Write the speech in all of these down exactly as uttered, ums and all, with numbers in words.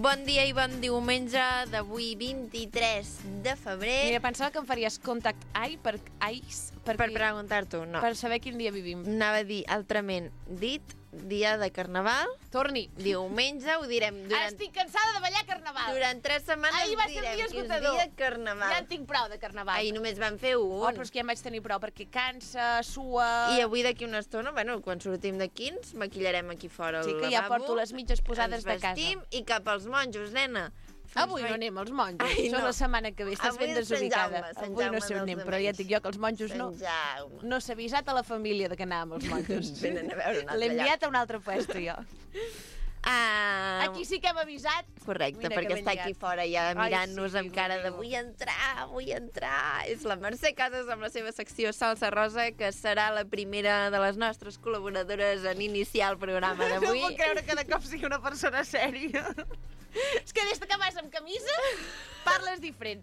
Bon dia i bon diumenge d'avui vint-i-tres de febrer. Mira, pensava que em faries contact eye per ice, per preguntar-t'ho, no. Per saber quin dia vivim. Anava a dir altrament dit, dia de Carnaval. Torni. Diumenge ho direm durant... Estic cansada de ballar Carnaval. Durant tres setmanes Ahir va ser direm dia que és esgotador. dia de Carnaval. Ja en tinc prou de Carnaval. Ahir només vam fer un. Oh, però és que ja em vaig tenir prou, perquè cansa, sua... I avui d'aquí una estona, bueno, quan sortim d'aquí ens maquillarem aquí fora al sí, lavabo. que ja porto les mitges posades de casa. Ens vestim i cap als monjos, nena. Avui no anem als monjos, Ai, això no. la setmana que ve, estàs Avui ben és Sant desubicada. Jaume, Sant Avui no Jaume sé on dels anem, però ja et dic jo que els monjos no... Sant Jaume. No s'ha avisat a la família de que anàvem als monjos. Venen a veure un altre L'he enviat lloc. a un altre puesto, jo. Ah, Aquí sí que hem avisat. correcte, Mira perquè que ben està aquí lligat. fora ja mirant-nos sí, amb cara de Déu. vull entrar, vull entrar. És la Mercè Casas amb la seva secció Salsa Rosa, que serà la primera de les nostres col·laboradores en iniciar el programa No d'avui. puc creure que de cop sigui una persona sèria. És que des que vas amb camisa parles diferent.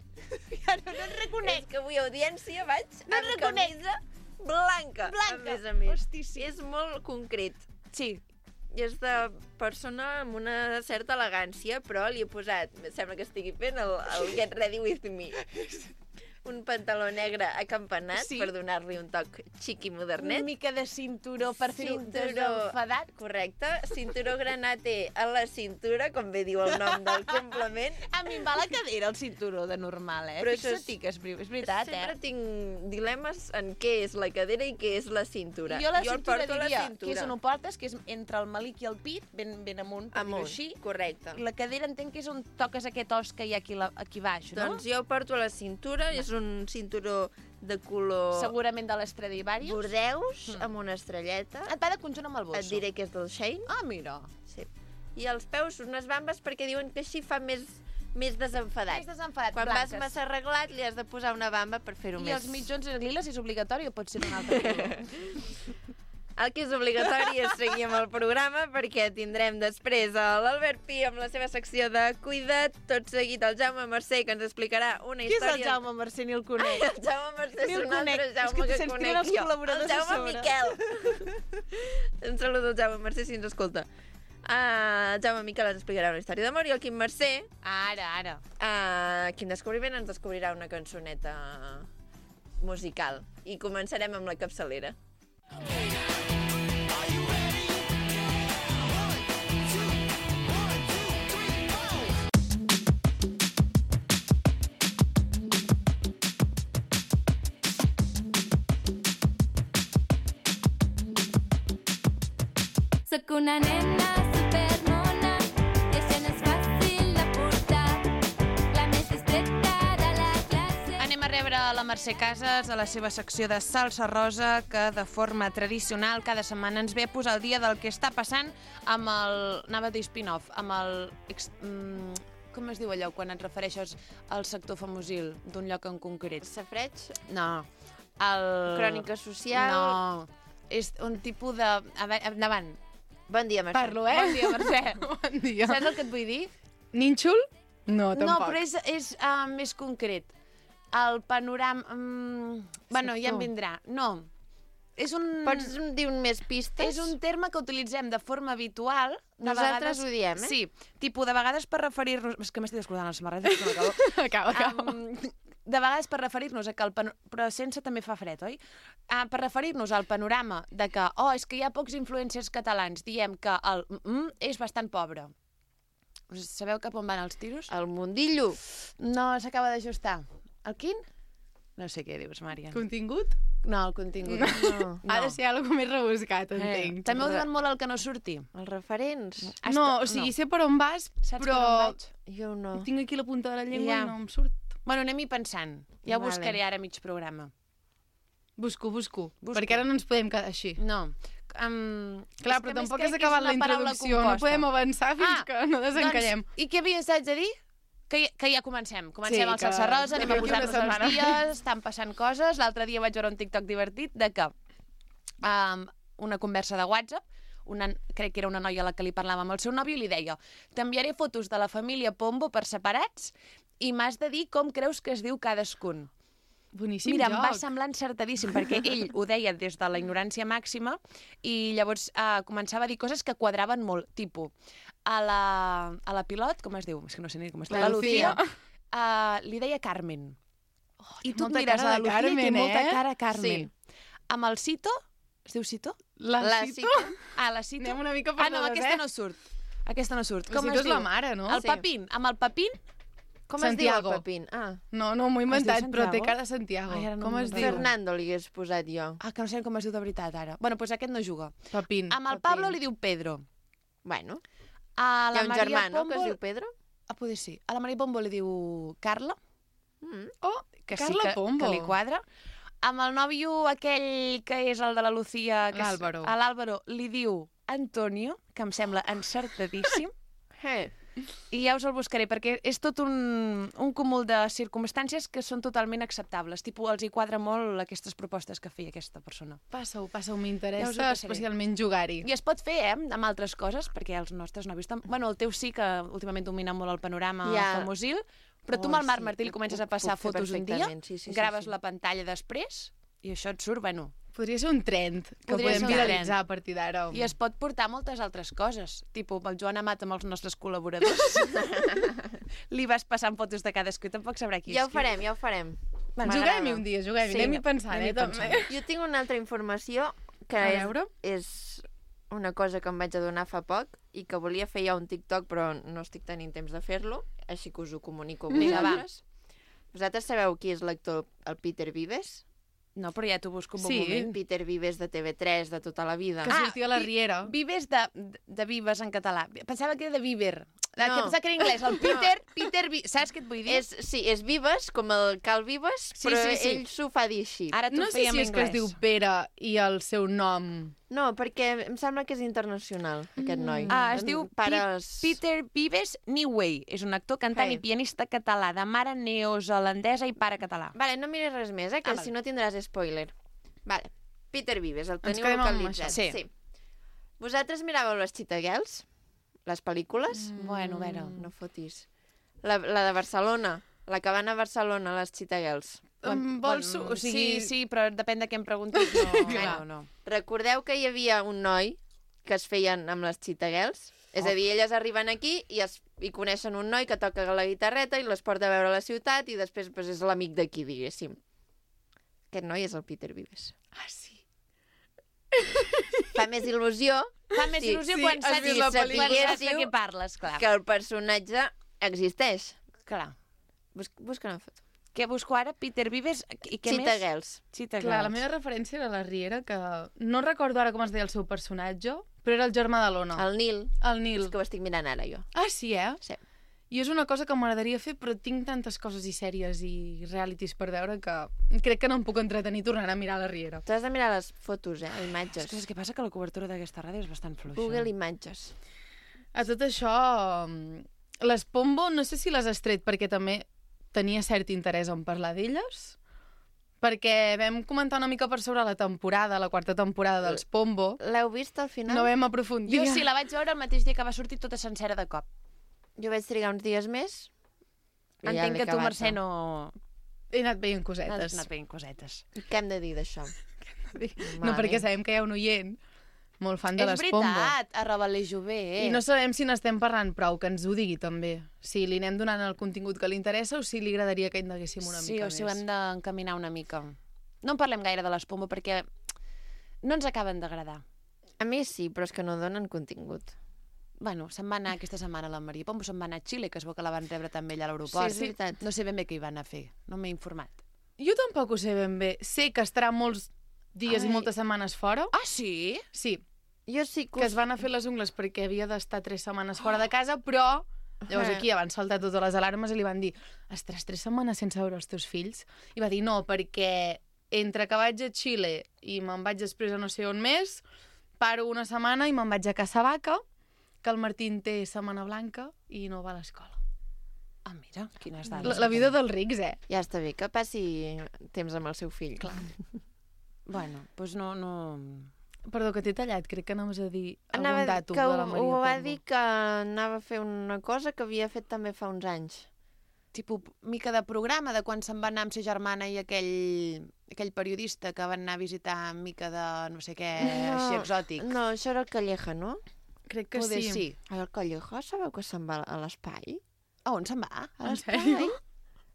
Ja no, no et reconec. És que avui audiència vaig No et amb reconec. camisa blanca, Blanca. a més a més. Hosti, sí. És molt concret. Sí. I és de persona amb una certa elegància, però li he posat, sembla que estigui fent el, el Get Ready With Me. Un pantaló negre acampanat, Sí. per donar-li un toc xic i Una modernet. mica de cinturó per fer un Cinturó- desenfadat. Correcte. Cinturó granate a la cintura, com bé diu el nom del complement. A mi em va la cadera el cinturó de normal, eh? Però això és- Fixa't que és, és veritat, Sempre eh? tinc dilemes en què és la cadera i què és la cintura. Jo la el cintura porto a la diria cintura. que és on ho portes, que és entre el malic i el pit, ben, ben amunt, per dir-ho Amunt, així. correcte. I la cadera entenc que és on toques aquest os que hi ha aquí, la, aquí baix, no? Doncs jo ho porto a la cintura, és un cinturó de color Segurament de l'Estradivarius. bordeus, amb una estrelleta. Et va de conjunt amb el bosso. Et diré que és del Shein. Ah, mira. Sí. I als peus unes bambes perquè diuen que així fa més, més desenfadat. Més desenfadat, Quan blanques. vas massa arreglat li has de posar una bamba per fer-ho I més... els mitjons liles és obligatori o pot ser un altre color? El que és obligatori és seguir amb el programa perquè tindrem després l'Albert Pi amb la seva secció de Cuida't, tot seguit el Jaume Mercè que ens explicarà una Qui és història... el Jaume Mercè? Ni el conec. Ai, el Jaume Mercè Ni és el un altre conec. És Jaume que que, se'ns conec tiren els jo. col·laboradors El a Jaume sobre. Miquel. Un saludo al Jaume Mercè si ens escolta. Uh, el Jaume Miquel ens explicarà una història d'amor i el Quim Mercè, Ara, ara. uh, Quim Descobriment, ens descobrirà una cançoneta musical. I començarem amb la capçalera. Soc una nena supermona i això no és fàcil de portar, la més distreta de la classe. Anem a rebre la Mercè Casas a la seva secció de Salsa Rosa, que de forma tradicional cada setmana ens ve a posar el dia del que està passant amb el... anava a dir spin-off, amb el... ex- mm, com es diu allò quan et refereixes al sector famosil d'un lloc en concret? Safreig, No. El... crònica social... No. És un tipus de... A veure, endavant. Bon dia, Mercè. Parlo, eh? Bon dia, Mercè. Bon dia. Saps el que et vull dir? Nínxol? No, tampoc. No, però és, és uh, més concret. El panorama... Um, bueno, ja em Sector. vindrà. No. És un... Pots dir un més pistes? És un terme que utilitzem de forma habitual. De Nosaltres vegades, ho diem, eh? Sí. Tipus, de vegades per referir-nos... És que m'estic descordant la samarreta, que no acabo. Acaba, acaba. Um, de vegades per referir-nos a que el panorama... Però sense també fa fred, oi? Uh, per referir-nos al panorama de que, oh, és que hi ha pocs influencers catalans, diem que el mm és bastant pobre. Us sabeu cap on van els tiros? El mundillo. No, s'acaba d'ajustar. El quin? No sé què dius, Mària. Contingut? No, el contingut. No. no. Ha de ser algo més rebuscat, Eh, entenc. també ho diuen molt el que no surti. Els referents. Has No, to- o sigui, no. sé per on vas, Saps però per on vaig? Jo no. tinc aquí la punta de la llengua Ja. i no em surt. Bueno, anem-hi pensant. Ja ho Vale. buscaré ara a mig programa. Busco, busco, Busco. perquè ara no ens podem quedar així. No. Um, Clar, però tampoc has acabat la introducció, no podem avançar fins ah, que no desencallem. Doncs, I què havies de dir? Que, que ja comencem. Comencem Sí, el que- Salsa Rosa, anem a d'aquí una posar-nos els setmana. dies, estan passant coses. L'altre dia vaig veure un TikTok divertit de que um, una conversa de WhatsApp, una, crec que era una noia a la que li parlava amb el seu nòvio i li deia: t'enviaré fotos de la família Pombo per separats i m'has de dir com creus que es diu cadascun. Boníssim Mira, joc. em va semblar encertadíssim, perquè ell ho deia des de la ignorància màxima i llavors eh, començava a dir coses que quadraven molt, tipus, a la, a la pilot, com es diu? És que no sé ni com es diu. La La Lucía. Lucía. Uh, li deia Carmen. Oh, I té tu et molta mires cara a la de Lucía Carmen, i té molta eh? cara Carmen. Sí. Amb el Cito, es diu Cito? La, La Cito? Cito. Ah, la Cito. Anem una mica Ah, no, perdudes, aquesta eh? no surt. Aquesta no surt. La Com Cito es és diu? la mare, no? El Sí. Papín. Amb el Papín, Com Santiago. es diu el Pepín? Ah, No, no, m'ho he Es diu inventat, però té Santiago? cara de Santiago. Ai, ara no Com me'n es diu? recordo. Fernando li hagués posat jo. ah, que no sé com es diu de veritat ara. Bueno, doncs aquest no juga. Papín. Amb el Papín. Pablo li diu Pedro. Bueno, A hi la ha un Maria germà, no?, Pombo... que es diu Pedro. Ah, poder sí. A la Maria Pombo li diu Carla, Mm. Oh, que Carla sí que, Pombo. que li quadra. Amb el nòvio aquell que és el de la Lucía... que és- L'Àlvaro. A l'Àlvaro li diu Antonio, que em sembla encertadíssim. Eh. I ja us el buscaré, perquè és tot un, un cúmul de circumstàncies que són totalment acceptables. Tipo, els hi quadra molt aquestes propostes que feia aquesta persona. Passa-ho, passa-ho, Ja us ho m'interessa passaré. especialment jugar-hi. I es pot fer, eh, amb altres coses, perquè els nostres nòvios... Tam... Bueno, el teu sí, que últimament domina molt el panorama Ja. famosil, però tu Oh, amb el Marc sí, Martí li ho- comences ho a passar puc fer fotos un dia, perfectament, sí, sí, sí, graves sí. la pantalla després, i això et surt, bueno... Podria ser un trend que Podria ser podem un viralitzar trend. a partir d'ara. I es pot portar moltes altres coses. Tipo, amb el Joan Amat, amb els nostres col·laboradors, li vas passant fotos de cadascú i tampoc sabrà qui Ja ho és qui. farem, ja ho farem. Juguem-hi M'agrada. un dia, juguem-hi. Sí, Anem-hi pensant, anem-hi eh, també. pensant. Jo tinc una altra informació que A és, veure. és una cosa que em vaig adonar fa poc i que volia fer ja un TikTok, però no estic tenint temps de fer-lo, així que us ho comunico a Vinga, va. vosaltres. Vosaltres sabeu qui és l'actor, el Peter Vives? No, però ja t'ho busco un bon Sí. moment. Peter Vives de T V tres de tota la vida. Que Ah, sortia a la vi- Riera. Vives de, de Vives en català. Pensava que era de Viver. No. No. Que pensava que era anglès. El Peter, Peter, Vi... saps què et vull dir? És, sí, és Vives, com el Cal Vives, Sí, però sí, sí. ell s'ho fa dir així. Ara t'ho No sé feia si en és que es anglès. diu Pere i el seu nom... No, perquè em sembla que és internacional, aquest noi. Ah, es diu Pares... Pi- Peter Vives Newey. És un actor, cantant Hey. i pianista català, de mare neozelandesa i pare català. Vale, no mires res més, eh, que Ah, ah, vale. si no tindràs spoiler. Vale, Peter Vives, el teniu quedem amb localitzat. això. Sí. sí. Vosaltres miràveu les Cheetah Girls? Les pel·lícules? Mm. Bueno, a veure... No fotis. La, la de Barcelona, la que van a Barcelona, les Cheetah Girls. Em vols... Bueno, O sigui... Sí, sí, però depèn de què em preguntis. No, Clar. no, no. Recordeu que hi havia un noi que es feien amb les Cheetah Girls? És a dir, elles arriben aquí i, es, i coneixen un noi que toca la guitarreta i les porta a veure la ciutat i després pues, és l'amic d'aquí, diguéssim. Aquest noi és el Peter Vives. Ah, sí. Fa més il·lusió Fa més Sí, il·lusió sí, quan has saps, vist la quan saps de pel·lícula. què parles, clar. que el personatge existeix. Clar. Bus busca una foto. Què busco ara? Peter Vives i què Cheetah més? Girls. Cheetah Clar, la Girls. meva referència era la Riera, que no recordo ara com es deia el seu personatge, però era el germà de l'Ona. El Nil. El Nil. És que ho estic mirant ara, jo. Ah, sí, eh? Sí. I és una cosa que m'agradaria fer, però tinc tantes coses i sèries i realities per veure que crec que no em puc entretenir tornant a mirar la Riera. Tu has de mirar les fotos, eh? És Imatges. que, és que passa que la cobertura d'aquesta ràdio és bastant fluixa. Google Imatges. A tot això, mm, les Pombo, no sé si les has tret perquè també tenia cert interès en parlar d'elles, perquè vam comentar una mica per sobre la temporada, la quarta temporada dels Pombo, L'heu vist al final? no vam aprofundir. Jo sí, la vaig veure el mateix dia que va sortir tota sencera de cop. Jo vaig trigar uns dies més. i ja Entenc l'he que tu, acabat, Mercè, no? no... He anat veient Has cosetes. anat veient cosetes. Què hem de dir d'això? No, perquè sabem que hi ha un oient molt fan de És les Pombo. veritat, arroba l'Ejové. I no sabem si n'estem parlant prou, que ens ho digui també. Si li anem donant el contingut que li interessa o si li agradaria que indaguéssim una sí, mica o si ho més. hem d'encaminar una mica. No en parlem gaire de les Pombo perquè no ens acaben d'agradar. A mi sí, però és que no donen contingut. Bueno, se'n va anar aquesta setmana la Maria Pombo, se'n va anar a Xile, que es veu que la van rebre també allà a l'aeroport. Sí, és veritat. No sé ben bé què hi van a fer, no m'he informat. Jo tampoc ho sé ben bé. Sé que estarà molts dies Ai. i moltes setmanes fora. Ah, sí? Sí, Jo sí que... que es van a fer les ungles perquè havia d'estar tres setmanes fora de casa, però llavors aquí ja van saltar totes les alarmes i li van dir estaràs tres setmanes sense veure els teus fills? I va dir no, perquè entre que vaig a Xile i me'n vaig després a no sé on més, paro una setmana i me'n vaig a Casavaca, que el Martín té setmana blanca i no va a l'escola. Ah, mira, quines La, dades. la vida dels rics, eh? Ja està bé, que passi temps amb el seu fill. Clar. Bueno, doncs no... no... Perdó, que t'he tallat, crec que anaves a dir algun Anava, datum que de ho, la Maria ho va Pombo. dir que anava a fer una cosa que havia fet també fa uns anys. Tipo, mica de programa de quan se'n va anar amb sa germana i aquell, aquell periodista que van anar a visitar mica de no sé què, així exòtic. No, això era el Calleja, no? Crec que Poder sí. sí. El Collejo sabeu que se'n va a l'espai? A on se'n va? A En l'espai? sèrio?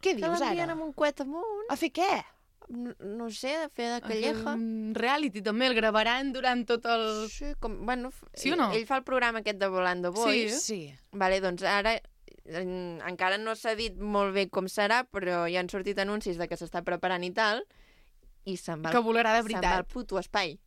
Què Que dius l'envien ara? amb un coet amunt. A fer què? No, no sé, a fer de A fer Calleja. un reality també, el gravaran durant tot el... Sí, com, bueno, f- Sí o no? Ell fa el programa aquest de Volando Boys. Sí. Vale, doncs ara en, encara no s'ha dit molt bé com serà, però ja han sortit anuncis de que s'està preparant i tal, i se'n va, Que volarà de se'n va al veritat. puto espai.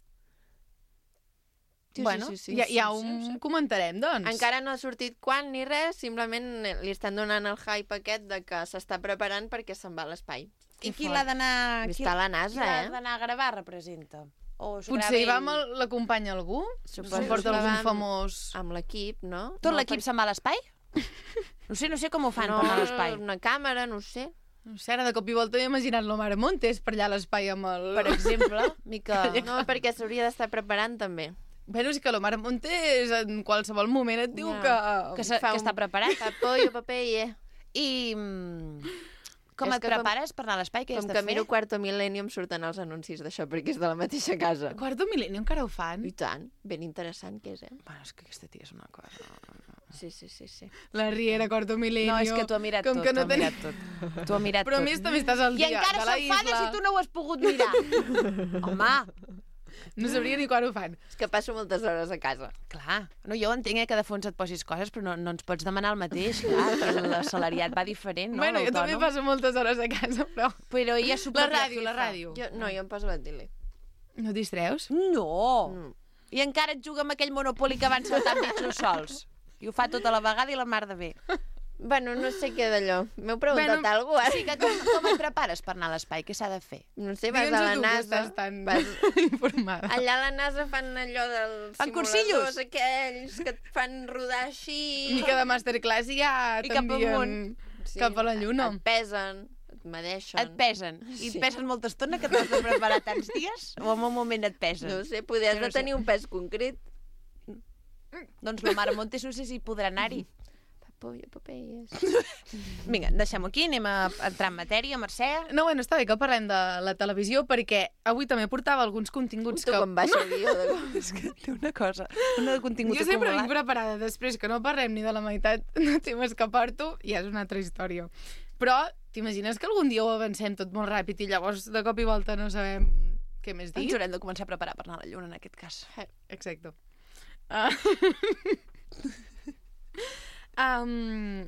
Sí, Bueno, sí, sí, sí, ja, sí, ja sí, ho sí. comentarem, doncs. Encara no ha sortit quan ni res, simplement li estan donant el hype aquest de que s'està preparant perquè se'n va a l'espai. I qui l'ha d'anar... Està a la NASA, qui l'ha eh? d'anar a gravar, representa? O s'ho Potser grava hi va ell? amb el- l'acompanya algú? Suposo Se'n porta que algun va amb- famós... Amb l'equip, no? Tot No, l'equip se'n va a l'espai? No sé, no sé com ho fan no, per anar a l'espai. una càmera, no ho sé. No sé, ara de cop i volta m'he imaginat l'Omar Montes per allà a l'espai amb el... Per exemple, mica... No, perquè s'hauria d'estar preparant també. Bueno, és que l'Omar Montes en qualsevol moment et diu Ja. que... Que, se, Fa que un- està preparat. Papollo, papeille. I mm, com És et que com- prepares per anar a l'espai? Què has Com de que fer? miro Quarto Millennium surten els anuncis d'això perquè és de la mateixa casa. Quarto Milenio encara ho fan? I tant, ben interessant que és, eh? Bueno, és que aquesta tia és una cosa... Sí, sí, sí, sí. La Riera, Quarto Milenio... No, és que t'ho ha mirat com tot, que t'ho no ha teni- mirat tot. T'ho ha mirat Però a tot. més també estàs al I dia encara de la s'enfada isla. si tu no ho has pogut mirar. Home, No sabria ni quan ho fan. És que passo moltes hores a casa. clar. No, jo entenc eh, que de fons et posis coses, però no, no ens pots demanar el mateix, clar, que l'assalariat va diferent, no? bueno, jo també l'autònom. passo moltes hores a casa, però... Però ella s'ho La propia ràdio, la jefa. ràdio. Jo, no, jo em poso la tele. No et distreus? No! Mm. I encara et juga amb aquell monopoli que van saltant bitxos sols. I ho fa tota la vegada i la mar de bé. Bueno, no sé què d'allò. M'heu preguntat Bueno, alguna cosa, Sí, que com, com et prepares per anar a l'espai? Què s'ha de fer? No sé, vas a Digue'ns-ho la tu, que NASA. estàs tan Vas... informada. Allà a la NASA fan allò dels Fan simuladors cursillos? aquells que et fan rodar així. Mica de masterclass i ja I cap t'envien amunt. Sí, cap a la lluna. Et pesen, et medeixen. Et pesen. I et Sí. pesen molta estona que t'has de preparar tants dies? O en un moment et pesen? No ho sé, poder has Jo no de sé. tenir un pes concret. Doncs la Mare Montes no sé si podrà anar-hi. Papollo, papelles. Vinga, deixem-ho aquí, anem a entrar en matèria, Mercè. No, bueno, està bé que parlem de la televisió perquè avui també portava alguns continguts Tu que... com baixa el guió de... És que té una cosa, una de contingut Jo sempre vinc acumulat. preparada, després que no parlem ni de la meitat de temes que porto, ja és una altra història. Però t'imagines que algun dia ho avancem tot molt ràpid i llavors de cop i volta no sabem què més dir? Ens haurem de començar a preparar per anar a la lluna, en aquest cas. Exacte. Uh... um...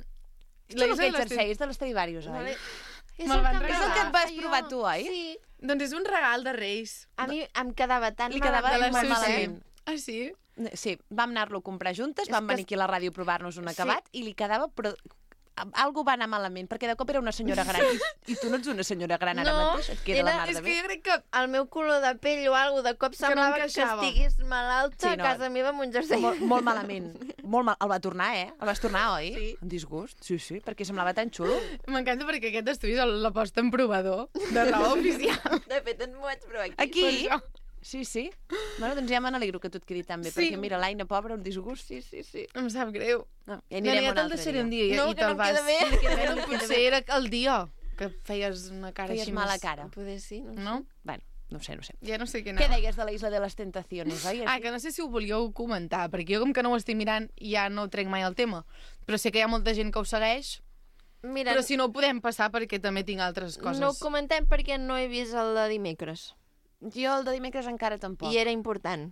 Tu no que ets jerseis de l'Estradivarius, oi? Vale. Me'l van És el regalar. que et vas provar tu, oi? Sí. Doncs és un regal de Reis. A mi em quedava tan Li quedava malament. molt Susi. malament. Ah, sí? Sí, vam anar-lo a comprar juntes, És vam que venir aquí a la ràdio a provar-nos un Sí. acabat i li quedava... Però algú va anar malament, perquè de cop era una senyora gran. I, i tu no ets una senyora gran ara No, mateix, et queda era- la mar És de que bé. jo crec que... El meu color de pell o alguna de cop no semblava que, encaixava. estigués malalta Sí, no. a casa meva amb un jersei. Molt, molt malament. Molt mal. El va tornar, eh? El vas tornar, oi? Sí. Un disgust? Sí, sí, perquè semblava tan xulo. M'encanta perquè aquest estudi és el- la posta en provador de raó oficial. De fet, ens m'ho vaig provar aquí. Aquí? Per això. Sí, sí. Bueno, doncs ja me n'alegro que tot quedi tan bé, Sí. perquè mira, l'Aina, pobra, un disgust. Sí, sí, sí. Em sap greu. No, ja Ja, anirem ja un te'l altre deixaré dia. un dia i, No, i que te'l no em vas... queda bé. Bueno, potser era el dia que feies una cara Feies així mala més- cara. Poder sí, no, No? Bueno, no ho sé, no ho sé. Ja no sé què Què anava. deies de la Isla de les Tentaciones, oi? Ah, que no sé si ho volíeu comentar, perquè jo com que no ho estic mirant ja no trec mai el tema. Però sé que hi ha molta gent que ho segueix, Mira, però si no ho podem passar perquè també tinc altres coses. no ho comentem perquè no he vist el de dimecres. Jo el de dimecres encara tampoc. I era important.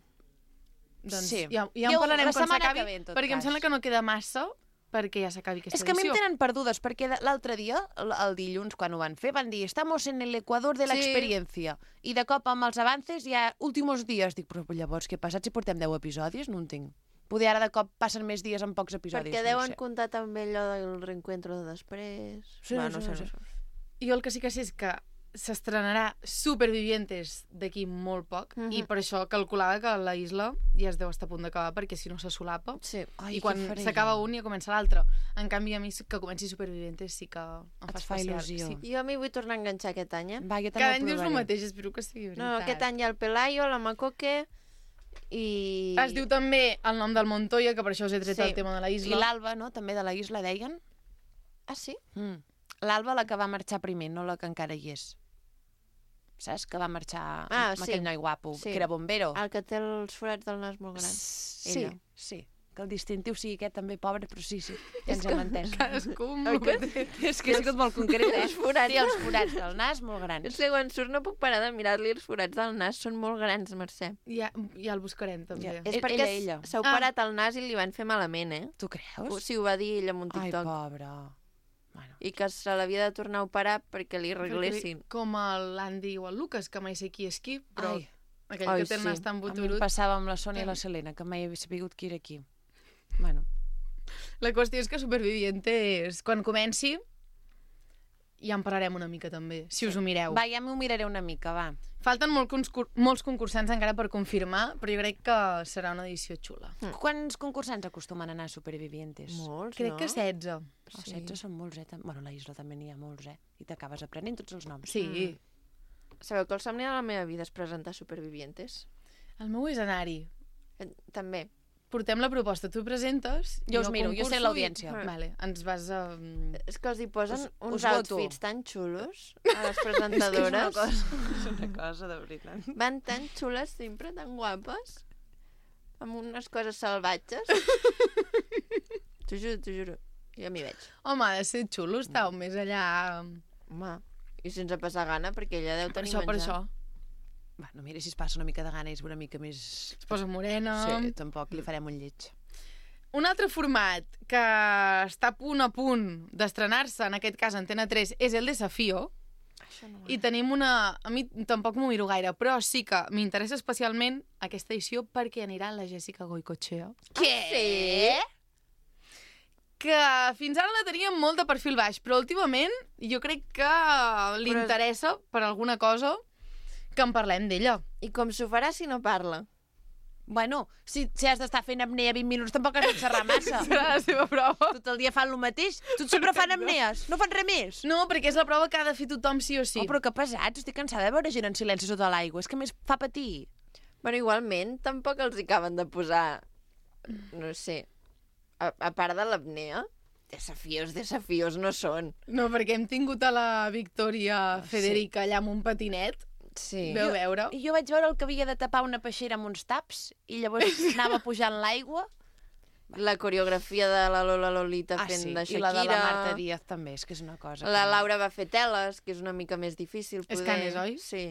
Doncs Sí. ja, ja Jo, en parlarem la quan setmana s'acabi, que ve, en tot perquè em cas. sembla que no queda massa perquè ja s'acabi aquesta És que a mi em edició. tenen perdudes, perquè de- l'altre dia, el, el dilluns, quan ho van fer, van dir «Estamos en el Ecuador de la Sí. experiencia». I de cop, amb els avances, ja últimos dies. Dic, però llavors què ha passat si portem deu episodis? No entenc. Poder ara de cop passen més dies amb pocs episodis. Perquè no ho deuen sé. comptar també allò del reencuentro de després. Sí, Va, sí, no sé, sí. no sé. Jo el que sí que sé és que s'estrenarà Supervivientes d'aquí molt poc Mhm. i per això calculava que la isla ja es deu estar a punt d'acabar perquè si no se solapa Sí. Ai, i què quan faré s'acaba jo? un ja comença l'altre. En canvi a mi que comenci Supervivientes sí que em Et fa fa especial. il·lusió. Sí. Jo m'hi vull tornar a enganxar aquest any, eh? Va, jo també Cada ho any dius el provaré. mateix, espero que sigui veritat. No, aquest any hi ha el Pelayo, la Macoque i... Es diu també el nom del Montoya, que per això us he tret Sí. el tema de la I isla. l'Alba, no?, també de la isla, deien. Ah, sí? Mm. L'Alba, la que va marxar primer, no la que encara hi és. Saps? Que va marxar Ah, amb sí. aquell noi guapo, Sí. que era bombero. El que té els forats del nas molt grans. Sí, Ella. sí. que el distintiu sigui aquest també pobre, però sí, sí, ja ens hem entès. Cadascú amb el que té. És que ha sigut molt concret, eh? Els forats. Sí, els forats del nas molt grans. És que quan surt no puc parar de mirar-li els forats del nas, són molt grans, Mercè. Ja, ja el buscarem, també. Ja. És Ell- perquè ella, ella. s'ha Ah. operat el nas i li van fer malament, eh? Tu O creus? sí, ho va dir ella en un Ai, TikTok. pobra. Bueno. I que se l'havia de tornar a operar perquè li arreglessin. Com l'Andy o el Lucas, que mai sé qui és qui, però Ai. aquell Ai, que té el sí. nas tan A mi em boturut. passava amb la Sònia i la Selena, que mai he sabut qui era qui. Bueno. La qüestió és que Supervivientes, quan comenci, ja en parlarem una mica també, si us ho mireu. Va, ja m'ho miraré una mica, va. Falten molt concur molts concursants encara per confirmar, però jo crec que serà una edició xula. Mm. Quants concursants acostumen a anar a Supervivientes? Molts, Crec no? que setze. Oh, setze són molts, eh? Tam- Bueno, a la Isla també n'hi ha molts, eh? I t'acabes aprenent tots els noms. Sí. Sabeu que el somni de la meva vida és presentar Supervivientes? El meu és anar-hi. Eh, També. Portem la proposta, tu presentes... Jo us miro, jo sé concurso l'audiència. i- Vale, ens vas a... És que els hi posen Us- uns us voto. outfits tan xulos a les presentadores. És una cosa, de veritat. Van tan xules sempre, tan guapes, amb unes coses salvatges. T'ho juro, t'ho juro. Jo m'hi veig. Home, ha de ser xulo, estàu més allà... Home, i sense passar gana, perquè ella deu Per tenir això, per menjar. això. Bueno, mira, si es passa una mica de gana i és una mica més... Es posa morena... Sí, tampoc li farem un lleig. Un altre format que està a punt a punt d'estrenar-se, en aquest cas Antena tres, és el Desafío. Això no I tenim una... A mi tampoc m'ho miro gaire, però sí que m'interessa especialment aquesta edició perquè anirà la Jessica Goicoechea. Què? Sí? Que fins ara la teníem molt de perfil baix, però últimament jo crec que li Però- interessa per alguna cosa que en parlem d'ella. I com s'ho farà si no parla? Bueno, si, si has d'estar fent apnea vint minuts, tampoc has de xerrar massa. Serà la seva prova. Tot el dia fan el mateix. Tots sempre fan apnees, no fan res més. No, perquè és la prova que ha de fer tothom sí o sí. Oh, però que pesats, estic cansada de veure gent en silenci sota l'aigua. És que a més fa patir. Bueno, igualment, tampoc els hi acaben de posar, no sé, a, a part de l'apnea, desafios, desafios no són. No, perquè hem tingut a la Victòria Ah, Federica allà amb un patinet. Sí. Veu veure? I jo vaig veure el que havia de tapar una peixera amb uns taps i llavors anava pujant l'aigua. La coreografia de la Lola Lolita Ah, fent sí, de i Shakira. la de la Marta Díaz també, és que és una cosa. La que- Laura va fer teles, que és una mica més difícil poder... És canes, oi? Sí.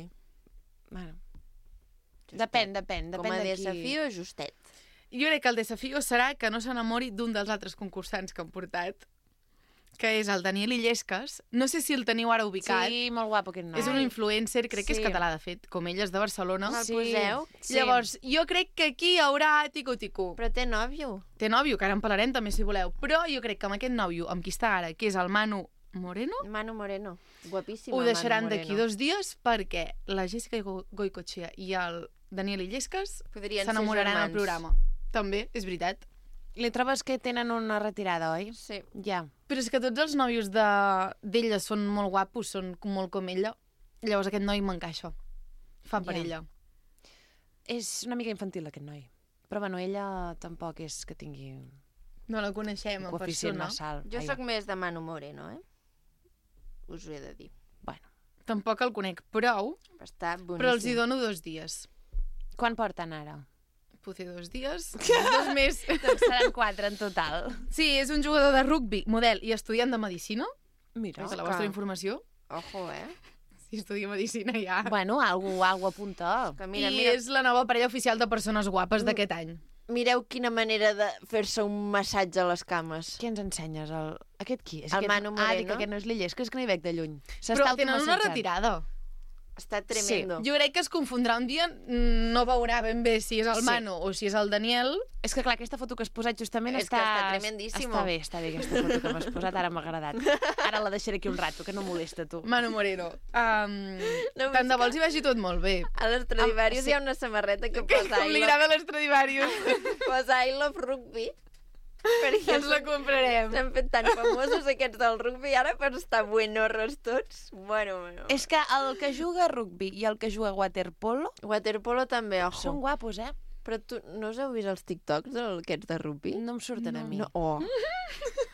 Bueno, Justet. depèn, depèn, Com depèn a de qui... desafio, justet. Jo crec que el desafio serà que no s'enamori d'un dels altres concursants que han portat, que és el Daniel Illescas. No sé si el teniu ara ubicat. Sí, molt guapo aquest noi. És un influencer, crec que és Sí. català, de fet, com ell és de Barcelona. Me'l Sí. poseu? Sí. Llavors, jo crec que aquí hi haurà tico-tico. Però té nòvio. Té nòvio, que ara en parlarem també, si voleu. Però jo crec que amb aquest nòvio, amb qui està ara, que és el Manu Moreno, Manu Moreno. Guapíssima, ho deixaran Manu d'aquí Moreno. dos dies perquè la Jessica Go- Goicoechea i el Daniel Illescas Podrien ser s'enamoraran al germans. programa. També, és veritat. Li trobes que tenen una retirada, oi? Sí. Ja. Però és que tots els nòvios de- d'ella són molt guapos, són com- molt com ella. Llavors aquest noi m'encaixa. Fa per Ja. ella. És una mica infantil, aquest noi. Però, bueno, ella tampoc és que tingui No la coneixem en coeficient persona. massa alt. Jo Ai, sóc més de Manu Moreno, eh? Us ho he de dir. Bueno, Tampoc el conec prou, Està boníssim. però els hi dono dos dies. quan porten ara? Potser dos dies, dos més. Doncs seran quatre en total. Sí, és un jugador de rugbi, model i estudiant de Medicina. Mira. És la que- vostra informació. Ojo, eh? Si estudia Medicina ja. Bueno, algú, algú apunta. Que mira, I mira, és la nova parella oficial de persones guapes d'aquest any. mireu quina manera de fer-se un massatge a les cames. Què ens ensenyes? El... Aquest qui? És El aquest... Manu Ah, dic Moreno. que aquest no és l'Illés, que és que no hi veig de lluny. Però tenen una retirada. Està tremendo. Jo crec que es confondrà un dia, no veurà ben bé si és el Sí. Manu o si és el Daniel. És que clar, aquesta foto que has posat justament És està... que està tremendíssimo. Està bé, està bé aquesta foto que m'has posat, ara m'ha agradat. Ara la deixaré aquí un rato, que no molesta tu. Manu Moreno. Um, No, tant de és bo els hi vagi tot molt bé. A l'Estradivarius Ah, sí. hi ha una samarreta que Que posa com I li love, agrada l'Estradivarius. posa I love rugby. Perquè Ens la comprarem. s'han fet tan famosos aquests del rugby ara per estar buenorros tots. Bueno, bueno. És que el que juga a rugby i el que juga a waterpolo Waterpolo també, ojo. són guapos, eh? Però tu no us heu vist els TikToks d'aquests de rugby? No em surten a mi. No. Oh.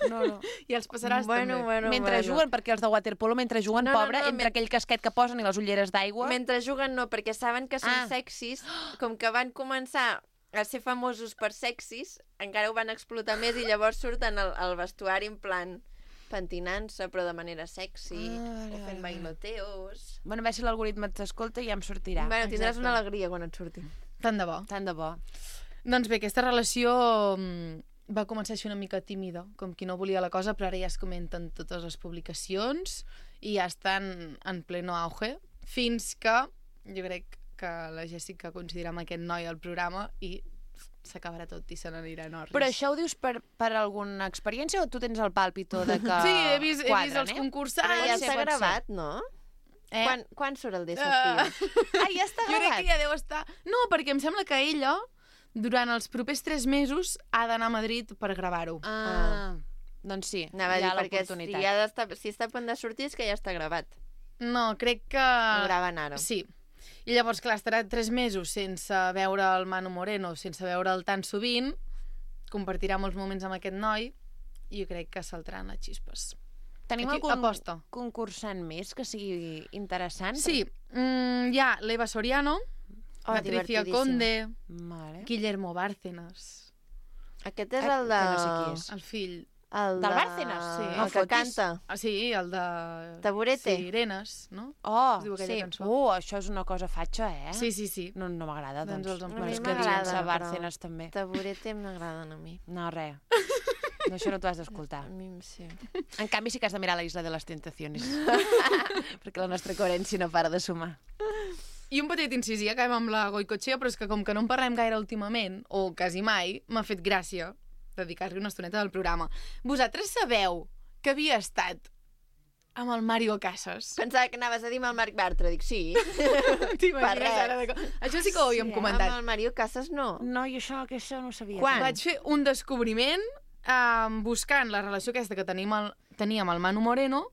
no, no. I els passaràs bueno, també. bueno, Mentre bueno. juguen, perquè els de waterpolo, mentre juguen, No, no, pobre, no, entre men- aquell casquet que posen i les ulleres d'aigua... Mentre juguen no, perquè saben que són Ah. sexis, com que van començar a ser famosos per sexis, encara ho van explotar més i llavors surten al, al vestuari en plan pentinant-se, però de manera sexy, Ah, o vale, fent vale. bailoteos... Bueno, a veure si l'algoritme t'escolta i ja em sortirà. Bueno, tindràs Exacte. una alegria quan et surti. Tant de bo. Tant de bo. Doncs bé, aquesta relació mm, va començar a ser una mica tímida, com qui no volia la cosa, però ara ja es comenten totes les publicacions i ja estan en pleno auge, fins que jo crec que la Jessica coincidirà amb aquest noi al programa i s'acabarà tot i se n'anirà a Norris. Però això ho dius per, per alguna experiència o tu tens el pàlpito de que Sí, he vist, he quadren, vist els eh? concursants. Però ja ser, està pot ser. gravat, no? Eh? Quan, quan surt el de Sofia? Ah, ja està Jo crec gravat? que ja deu estar... No, perquè em sembla que ella, durant els propers tres mesos, ha d'anar a Madrid per gravar-ho. Ah, doncs sí, Anava a hi dir, ha perquè si, l'oportunitat. ha d'estar, si està a punt de sortir és que ja està gravat. No, crec que... Ho graven ara. Sí. I llavors, clar, estarà tres mesos sense veure el Manu Moreno, sense veure'l tan sovint, compartirà molts moments amb aquest noi, i jo crec que saltaran les xispes. Tenim Aquí, algun aposta. concursant més que sigui interessant? Sí, mm, hi ha l'Eva Soriano, Oh, Patricia divertidíssim. Conde, Vale. Guillermo Bárcenas, Aquest és Ah, el de... que no sé qui és. el fill... El Del de... Bárcenas? Sí. El No que fotis. canta. Ah, sí, el de... Taburete. Sirenes, no? Oh, Es diu aquella sí. cançó. Uh, això és una cosa fatxa, eh? Sí, sí, sí. No, no m'agrada, Doncs doncs. els Bueno, emprenyats és A que mi diuen m'agrada, a però- Bárcenas també. Taburete m'agraden a mi. No, res. No, això no t'ho has d'escoltar. A mi sí. En canvi, sí que has de mirar la Isla de les Tentaciones. Perquè la nostra coherència no para de sumar. I un petit incís, ja acabem amb la Goicoechea, però és que com que no en parlem gaire últimament, o quasi mai, m'ha fet gràcia dedicar-li una estoneta del programa. Vosaltres sabeu que havia estat amb el Mario Casas? Pensava que anaves a dir amb el Marc Bartra. Dic, sí. T'imagines res. ara de... co- Això sí que ho havíem Sí, eh? comentat. Amb el Mario Casas no. No, i això, que això no ho sabia. Quan? Vaig fer un descobriment eh, buscant la relació aquesta que tenim el, teníem amb el Manu Moreno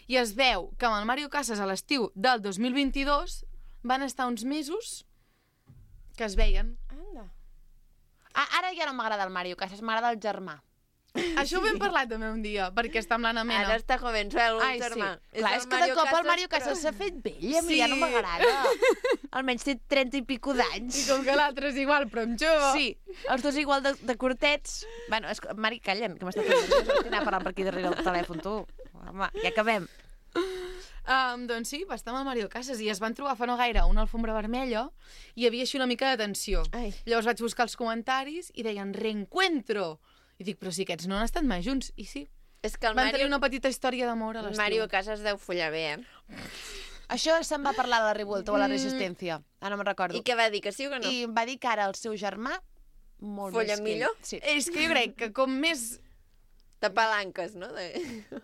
i es veu que amb el Mario Casas a l'estiu del dos mil vint-i-dos van estar uns mesos que es veien. Anda. Ah, ara ja no m'agrada el Mario Casas, m'agrada el germà. Això ho hem parlat també un dia, perquè està amb l'Anna Mena. Ara està jovenzuelo, Ai, el sí. germà. Clar, és que de cop el Mario Casas s'ha fet vell i a mi Sí. ja no m'agrada. Almenys té trenta i pico d'anys. I com que l'altre és igual, però amb jove. Sí, els dos igual de, de curtets. Bueno, és, que- Mari, calla'n, que m'està fent nerviós. Estic anant parlant per aquí darrere el telèfon, tu. Home, ja acabem. Um, doncs sí, va estar amb el Mario Casas i es van trobar fa no gaire una alfombra vermella i hi havia així una mica de tensió. Ai. Llavors vaig buscar els comentaris i deien reencuentro. I dic, però si aquests no han estat mai junts. I sí, És que el van Mario, tenir una petita història d'amor a el l'estiu. Mario Casas deu follar bé, eh? Això se'n va parlar a la Revuelta o a la Resistència. Ah, no me'n recordo. I què va dir, que sí o que no? I va dir que ara el seu germà molt Folla més que ell. millor? Sí. És que jo crec que com més... De palanques, no? De...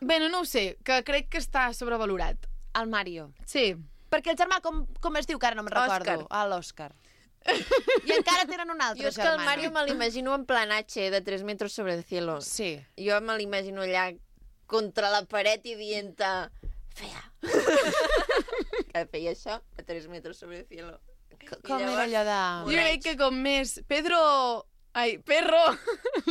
Bé, no, no ho sé, que crec que està sobrevalorat. El Mario. Sí. Perquè el germà, com, com es diu, que ara no me'n recordo? Òscar. Ah, l'Òscar. I encara tenen un altre Jo és que el germà. Mario me l'imagino en plan H de tres metros sobre el cielo. Sí. Jo me l'imagino allà contra la paret i dient fea. Que feia això a tres metros sobre el cielo. C- Com era allò de... Jo crec que com més... Pedro... Ai, perro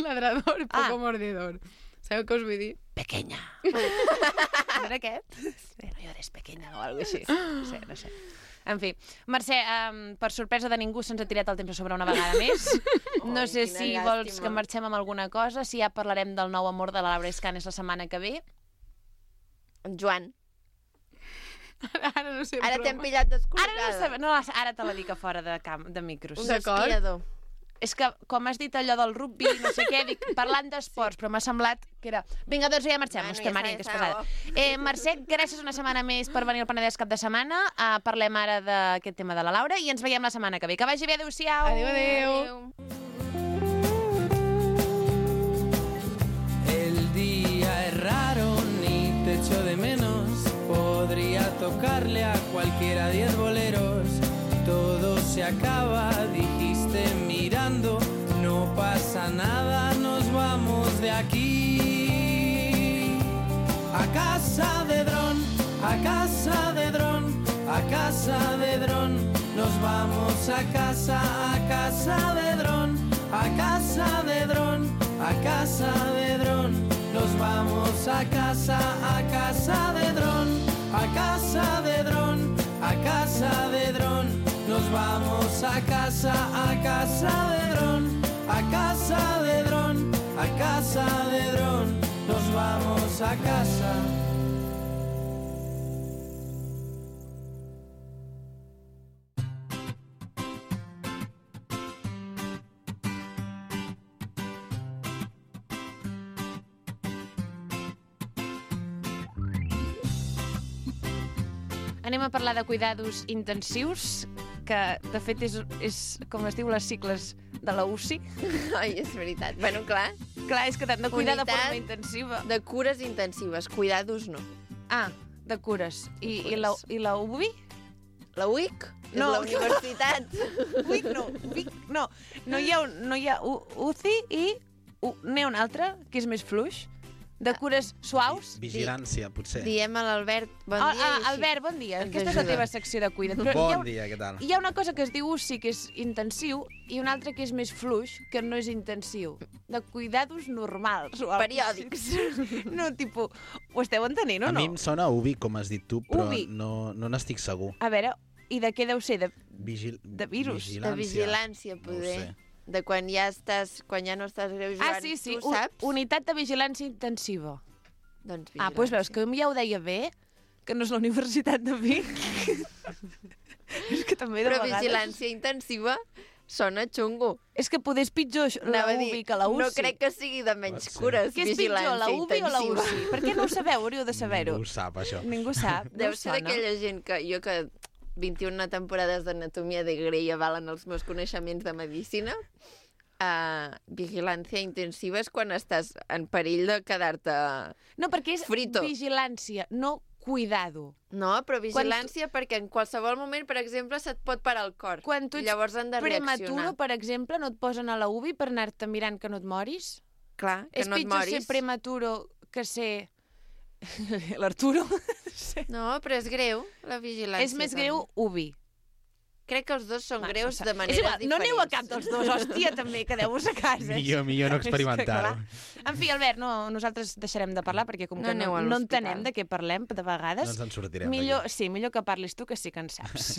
ladrador, poco Ah. mordedor. Sabeu què us vull dir? Pequeña. No era aquest? Bueno, jo eres pequeña o alguna cosa així. No sé, no sé. En fi, Mercè, um, per sorpresa de ningú se'ns ha tirat el temps a sobre una vegada més. No Ai, sé quina si llàstima. vols que marxem amb alguna cosa, si ja parlarem del nou amor de la Laura Escanes la setmana que ve. En Joan, Ara no sé, ara però- t'hem pillat descol·locada. Ara no sabem, no, ara te la dic a fora de, camp, de micros. Un D'acord. esquiador. És que, com has dit allò del rugby, no sé què, dic, parlant d'esports, però m'ha semblat que era... Vinga, doncs ja marxem, Bueno, bueno, ja Maria, està, que és ja pesada. està. Eh, Mercè, gràcies una setmana més per venir al Penedès cap de setmana. Uh, parlem ara d'aquest tema de la Laura i ens veiem la setmana que ve. Que vagi bé, adéu-siau! Adéu, adéu. El día es raro, ni te echo de menos. Podría tocarle a cualquiera diez boleros. Todo se acaba, dijiste mirando. No pasa nada, nos vamos de aquí. A casa de dron, a casa de dron, a casa de dron. Nos vamos a casa, a casa de dron, a casa de dron, a casa de dron. Nos vamos a casa, a casa de dron, a casa de dron, a casa de dron. Nos nos vamos a casa, a casa de dron, a casa de dron, a casa de dron, nos vamos a casa. Anem a parlar de cuidados intensius, que de fet és, és com es diu, les cicles de la U C I. Ai, és veritat. Bueno, clar, Clar, és que t'han de cuidar de Unitat forma intensiva. de cures intensives, cuidados no. Ah, de cures. I, i, la, i la U B I? La U I C és No. la universitat. U I C no, U I C no. No hi ha, un- no hi ha U, UCI i U, n'hi ha un altre, que és més fluix, de cures suaus. Vigilància, potser. Diem a l'Albert bon Ah, dia. ah, i així. Albert, bon dia. Ens Aquesta és la ajuda. teva secció de cuida't. Però hi ha, Bon un- dia, què tal? hi ha una cosa que es diu U C I, que és intensiu, i una altra que és més fluix, que no és intensiu. De cuidados normals. O algo Periòdics. així. No, tipus, ho esteu entenent o A no? mi em sona U B I, com has dit tu, però U B I. no, no n'estic segur. A veure, i de què deu ser? De... Vigil... De virus. De vigilància, No ho poder. sé. De quan ja estàs, quan ja no estàs greu jugant. Ah, sí, sí, Tu un- saps? unitat de vigilància intensiva. Doncs Ah, doncs veus que ja ho deia bé, que no és la Universitat de Vic. És que també de Però vegades... vigilància intensiva sona xungo. És que poder és pitjor la Anava a U dir, B I que la U C I. No crec que sigui de menys Pot ser. cures, Què és pitjor, vigilància la U B I o la U intensiva. C I? Per què no ho sabeu? Hauríeu de saber-ho. Ningú ho sap, això. Ningú sap. Deu no ser sona. d'aquella gent que jo que vint-i-una temporades d'anatomia de Grey avalen els meus coneixements de medicina. Uh, vigilància intensiva és quan estàs en perill de quedar-te... No, perquè és Frito. vigilància, no cuidado. No, però vigilància perquè en qualsevol moment, per exemple, se't pot parar el cor. Quan tu I ets llavors han de prematuro, reaccionar. per exemple, no et posen a la U B I per anar-te mirant que no et moris? Clar, que és no et pitjor moris. ser prematuro que ser... L'Arturo? No, però és greu, la vigilància. És més també. greu U B I. Crec que els dos són Va, greus no sé. de maneres És igual, diferents. no aneu a cap dels dos, hòstia, també, quedeu-vos a casa. Millor, millor no És que, experimentar-ho. clar. En fi, Albert, no, nosaltres deixarem de parlar perquè com No que aneu no, a no l'hospital. entenem de què parlem de vegades, No ens en sortirem millor, d'aquí. sí, millor que parlis tu, que sí que en saps.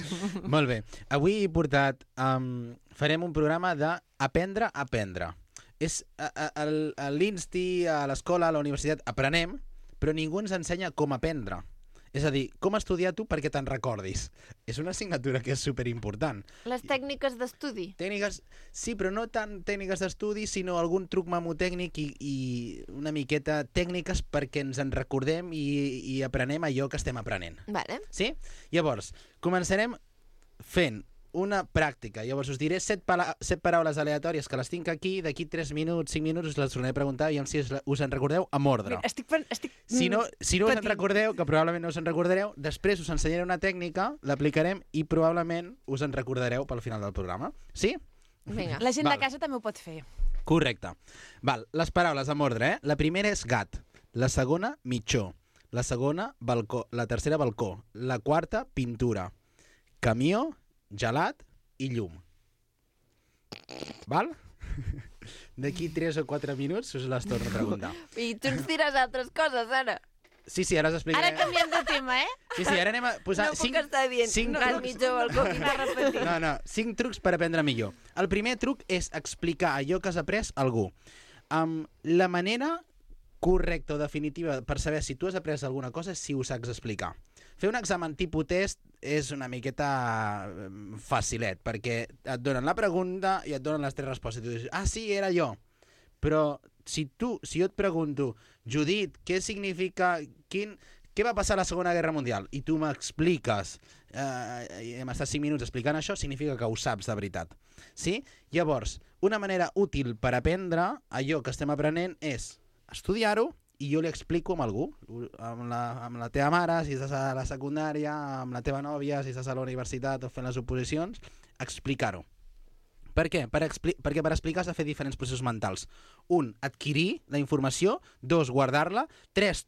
Molt bé. Avui he portat... Um, farem un programa d'Aprendre a aprendre. És a, a, a, a l'Insti, a l'escola, a la universitat, aprenem, però ningú ens ensenya com aprendre. És a dir, com estudiar tu perquè te'n recordis. És una assignatura que és superimportant. Les tècniques d'estudi. Tècniques, sí, però no tant tècniques d'estudi, sinó algun truc memotècnic i, i una miqueta tècniques perquè ens en recordem i, i aprenem allò que estem aprenent. Vale. Sí? Llavors, començarem fent una pràctica. Llavors us diré set, pala set paraules aleatòries que les tinc aquí, d'aquí tres minuts, cinc minuts us les tornaré a preguntar i si us, us en recordeu amb ordre. Mira, estic, pen- estic... Si no, si no us en patint. recordeu, que probablement no us en recordareu, després us ensenyaré una tècnica, l'aplicarem i probablement us en recordareu pel final del programa. Sí? Vinga. La gent Val. de casa també ho pot fer. Correcte. Val, les paraules amb ordre, eh? La primera és gat, la segona, mitjó, la segona, balcó, la tercera, balcó, la quarta, pintura, camió, gelat i llum. Val? D'aquí tres o quatre minuts us les torno a preguntar. I tu ens diràs altres coses, ara. Sí, sí, ara us explicaré. Ara canviem de tema, eh? Sí, sí, ara anem a posar... No puc estar dient cinc gat, trucs. mitjó, balcó, Anar repetint. No, no, cinc trucs per aprendre millor. El primer truc és explicar allò que has après a algú. Um, la manera correcta o definitiva per saber si tu has après alguna cosa és si ho saps explicar. Fer un examen tipus test és una miqueta em, facilet, perquè et donen la pregunta i et donen les tres respostes. I tu dius, ah, sí, era jo. Però si tu, si jo et pregunto, Judit, què significa, quin, què va passar a la Segona Guerra Mundial? I tu m'expliques, eh, i hem estat cinc minuts explicant això, significa que ho saps de veritat. Sí? Llavors, una manera útil per aprendre allò que estem aprenent és estudiar-ho i jo li explico amb algú, amb la, amb la teva mare, si estàs a la secundària, amb la teva nòvia, si estàs a la universitat o fent les oposicions, explicar-ho. Per què? Per expli perquè per explicar has de fer diferents processos mentals. Un, adquirir la informació. Dos, guardar-la. Tres,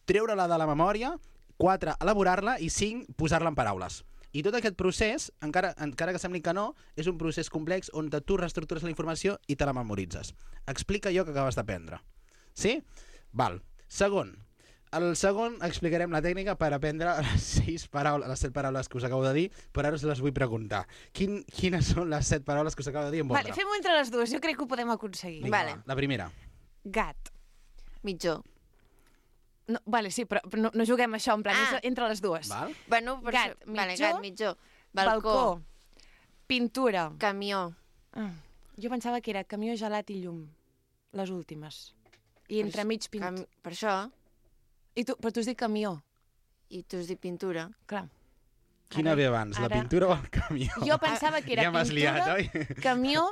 treure-la de la memòria. Quatre, elaborar-la. I cinc, posar-la en paraules. I tot aquest procés, encara, encara que sembli que no, és un procés complex on tu reestructures la informació i te la memoritzes. Explica allò que acabes d'aprendre. Sí? Val. Segon, El segon explicarem la tècnica per aprendre les sis paraules, les set paraules que us acabo de dir, però ara us les vull preguntar. Quin, quines són les set paraules que us acabo de dir en Vale, ordre? fem-ho entre les dues, jo crec que ho podem aconseguir. Vinga, Vale. va, la primera. Gat. Mitjó. No, vale, sí, però però no, no juguem a això, en plan, Ah. és entre les dues. Val? Bueno, per Gat, això... Vale, mitjó, gat, mitjó. Balcó. Balcó. Pintura. Camió. Ah, jo pensava que era camió, gelat i llum. Les últimes. I entremig pintura. Cam... Per això. I tu, però tu has dit camió. I tu has dit pintura. Clar. Quina Ara- ve abans, la ara- pintura o el camió? Jo pensava que era ja m'has liat, pintura, oi? camió,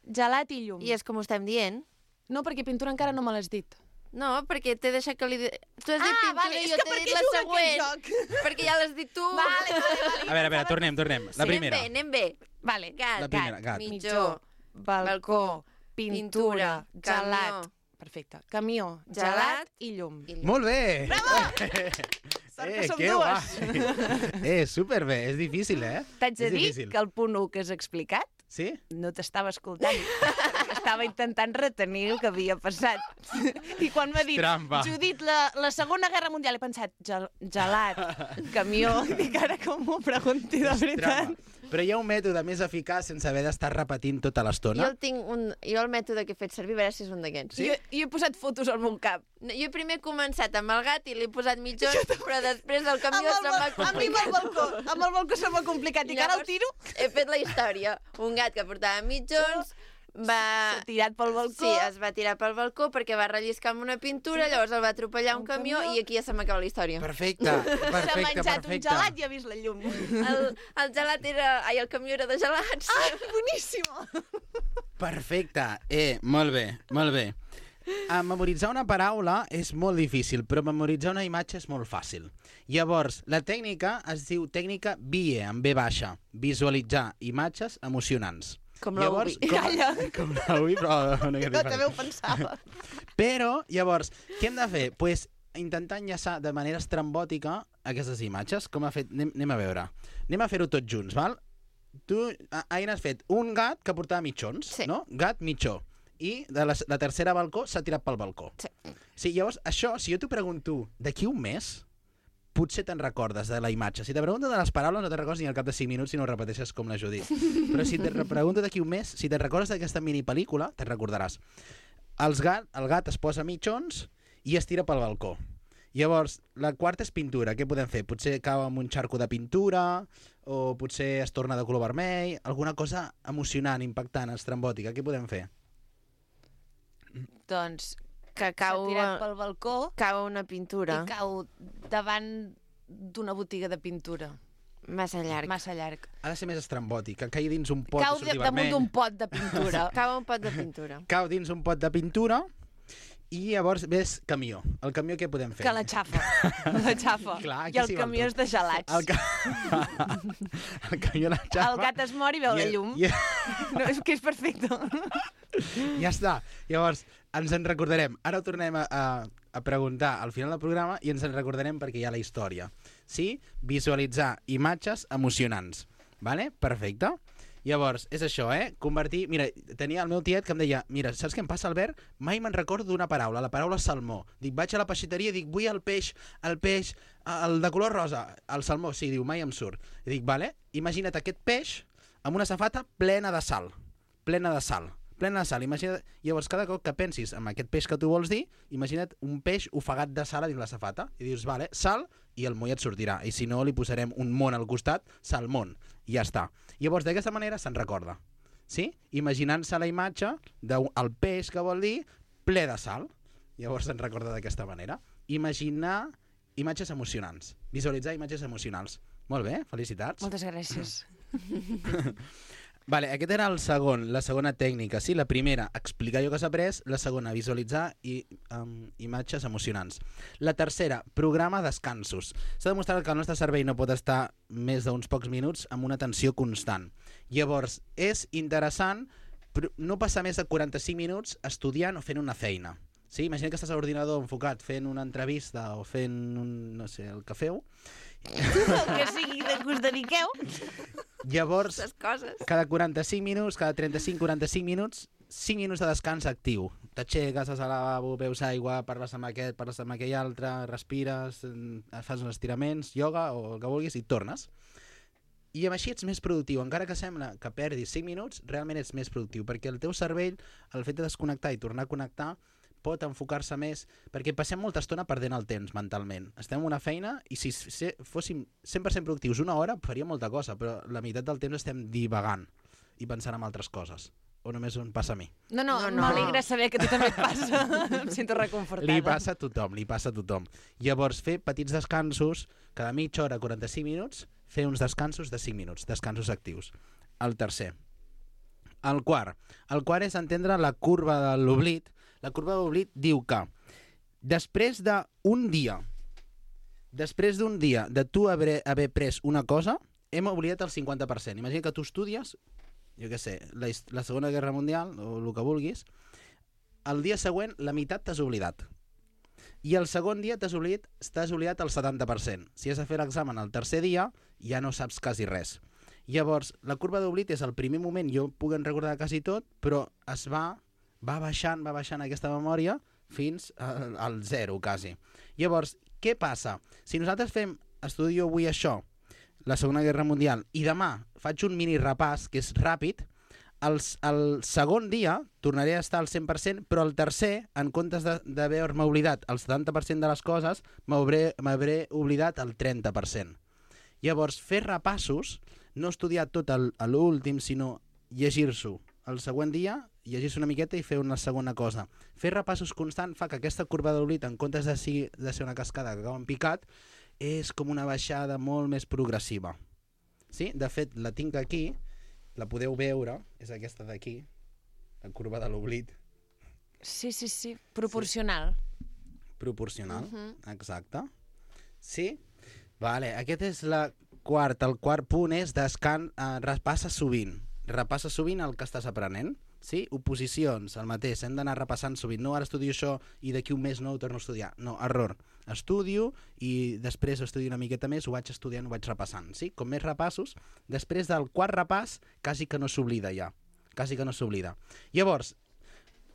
gelat i llum. I és com ho estem dient. No, perquè pintura encara no me l'has dit. No, perquè t'he deixat que li... di- Tu has dit Ah, pintura vale, i és jo que t'he per dit què la juga següent. aquest Perquè ja l'has dit tu. Vale, vale, vale. A veure, a veure, tornem, tornem. La Sí, primera. Anem bé, anem bé. Vale. Gat, La primera, gat. mitjó, balcó, pintura, pintura, gelat. camió. Perfecte. Camió, Gelat gelat i llum. i llum. Molt bé! Bravo! Sort que eh, som que dues. guai! Eh, superbé, és difícil, eh? T'haig de És dir difícil. que el punt u que has explicat Sí? no t'estava escoltant. perquè estava intentant retenir el que havia passat. I quan m'ha dit, Trampa. Judit, la, la Segona Guerra Mundial, he pensat, gel, gelat, camió, i dic, ara com m'ho pregunti de veritat. Trampa. Però hi ha un mètode més eficaç sense haver d'estar repetint tota Jo l'estona. el tinc un... Jo el mètode que he fet servir, a veure si és un d'aquests. Sí? Jo, jo he posat fotos al meu cap. No, jo primer he començat amb el gat i li he posat mitjons, però després el camió Amb el se m'ha bal- a mi amb el complicat. balcó, amb el balcó se m'ha complicat. I que ara el tiro, He fet la història. Un gat que portava mitjons, va... s'ha tirat pel balcó. Sí, es va tirar pel balcó perquè va relliscar amb una pintura, llavors el va atropellar un, Un camió, camió. i aquí ja se m'acaba la història. Perfecte, S'ha perfecte, menjat un perfecte. gelat i ha vist la llum. El, el gelat era... Ai, el camió era de gelats. Ah, boníssima! Perfecte. Eh, molt bé, molt bé. A memoritzar una paraula és molt difícil, però memoritzar una imatge és molt fàcil. Llavors, la tècnica es diu tècnica V I E, amb V baixa. Visualitzar imatges emocionants. Com la Llavors, Ubi. com, Calla. com la Ubi, però una mica Jo també ho diferent. pensava. Però, llavors, què hem de fer? Pues, intentar enllaçar de manera estrambòtica aquestes imatges, com ha fet... Anem, anem a veure. Anem a fer-ho tots junts, val? Tu, A- Aina, has fet un gat que portava mitjons, Sí. no? Gat, mitjó. I de la, la tercera balcó s'ha tirat pel balcó. Sí. Sí, llavors, això, si jo t'ho pregunto d'aquí un mes, potser te'n recordes de la imatge. Si te pregunto de les paraules, no te'n recordes ni al cap de cinc minuts si no ho repeteixes com la Judit. Però si te pregunto d'aquí un mes, si te'n recordes d'aquesta minipel·lícula, te'n recordaràs. Els gat, el gat es posa mitjons i es tira pel balcó. Llavors, la quarta és pintura. Què podem fer? Potser cau amb un xarco de pintura, o potser es torna de color vermell, alguna cosa emocionant, impactant, estrambòtica. Què podem fer? Doncs Que s'ha cau, tirat pel balcó cau una pintura. i cau davant d'una botiga de pintura. Massa llarg. Massa llarg. Ha de ser més estrambòtic, que caigui dins un pot Cau i de, surti damunt vermell. d'un pot de pintura. Cau un pot de pintura. Cau dins un pot de pintura i llavors ves camió. El camió què podem fer? Que la xafa. La xafa. Clar, aquí I el s'hi val camió tot. és de gelats. El, ca... el camió la xapa. El gat es mor i veu la llum. I, No, és que és perfecte. ja està. Llavors, ens en recordarem. Ara ho tornem a, a, a preguntar al final del programa i ens en recordarem perquè hi ha la història. Sí? Visualitzar imatges emocionants. Vale? Perfecte. Llavors, és això, eh? Convertir... Mira, tenia el meu tiet que em deia mira, saps què em passa, Albert? Mai me'n recordo d'una paraula, la paraula salmó. Dic, vaig a la peixateria i dic, vull el peix, el peix, el de color rosa, el salmó. Sí, diu, mai em surt. I dic, vale, imagina't aquest peix amb una safata plena de sal. Plena de sal. Plena de sal. Imagina't... Llavors, cada cop que pensis en aquest peix que tu vols dir, imagina't un peix ofegat de sal a dins la safata. I dius, vale, sal, i el moll et sortirà. I si no, li posarem un món al costat, salmón. I ja està. Llavors, d'aquesta manera se'n recorda. Sí? Imaginant-se la imatge del peix que vol dir ple de sal. Llavors se'n recorda d'aquesta manera. Imaginar imatges emocionants. Visualitzar imatges emocionals. Molt bé, felicitats. Moltes gràcies. Vale, aquest era el segon, la segona tècnica. Sí, la primera, explicar allò que s'ha après. La segona, visualitzar i, um, imatges emocionants. La tercera, programa descansos. S'ha demostrat que el nostre cervell no pot estar més d'uns pocs minuts amb una atenció constant. Llavors, és interessant no passar més de quaranta-cinc minuts estudiant o fent una feina. Sí? Imagina que estàs a l'ordinador enfocat fent una entrevista o fent, un, no sé, el que feu. El que sigui de que us dediqueu. Llavors, Les coses. cada quaranta-cinc minuts, cada trenta-cinc quaranta-cinc minuts, cinc minuts de descans actiu. T'aixeques, vas al lavabo, beus aigua, parles amb aquest, parles amb aquell altre, respires, fas uns estiraments, ioga o el que vulguis i tornes. I amb així ets més productiu. Encara que sembla que perdis cinc minuts, realment ets més productiu, perquè el teu cervell, el fet de desconnectar i tornar a connectar, pot enfocar-se més, perquè passem molta estona perdent el temps mentalment. Estem en una feina i si fóssim cent per cent productius una hora, faríem molta cosa, però la meitat del temps estem divagant i pensant en altres coses. O només em passa a mi? No, no, No, no. m'alegra saber que a tu també et passa. Em sento reconfortada. Li passa a tothom, li passa a tothom. Llavors, fer petits descansos, cada mitja hora, quaranta-cinc minuts, fer uns descansos de cinc minuts, descansos actius. El tercer. El quart. El quart és entendre la curva de l'oblit. La curva de l'oblit diu que després d'un dia, després d'un dia de tu haver, haver pres una cosa, hem oblidat el cinquanta per cent. Imagina que tu estudies, jo què sé, la, la Segona Guerra Mundial, o el que vulguis, el dia següent la meitat t'has oblidat. I el segon dia t'has oblidat, t'has oblidat el setanta per cent. Si has de fer l'examen el tercer dia, ja no saps quasi res. Llavors, la curva d'oblit és el primer moment, jo puc recordar quasi tot, però es va, va baixant, va baixant aquesta memòria fins al, al zero, quasi. Llavors, què passa? Si nosaltres fem, estudio avui això, la Segona Guerra Mundial, i demà faig un mini repàs, que és ràpid, el, el segon dia tornaré a estar al cent per cent, però el tercer, en comptes d'haver-me oblidat el setanta per cent de les coses, m'hauré oblidat el trenta per cent. Llavors, fer repassos, no estudiar tot a l'últim, sinó llegir-s'ho el següent dia, llegir-se una miqueta i fer una segona cosa. Fer repassos constant fa que aquesta curva d'oblit, en comptes de ser, de ser una cascada que acaba en picat, és com una baixada molt més progressiva. Sí? De fet, la tinc aquí, la podeu veure, és aquesta d'aquí, la curva de l'oblit. Sí, sí, sí, proporcional. Proporcional, exacte. Sí? Vale, aquest és la quarta. El quart punt és descan... Eh, repassa sovint. Repassa sovint el que estàs aprenent. Sí? Oposicions, el mateix. Hem d'anar repassant sovint. No, ara estudio això i d'aquí un mes no ho torno a estudiar. No, error. Estudio i després estudio una miqueta més, ho vaig estudiant, ho vaig repassant. Sí? Com més repassos, després del quart repàs, quasi que no s'oblida ja. Quasi que no s'oblida. Llavors,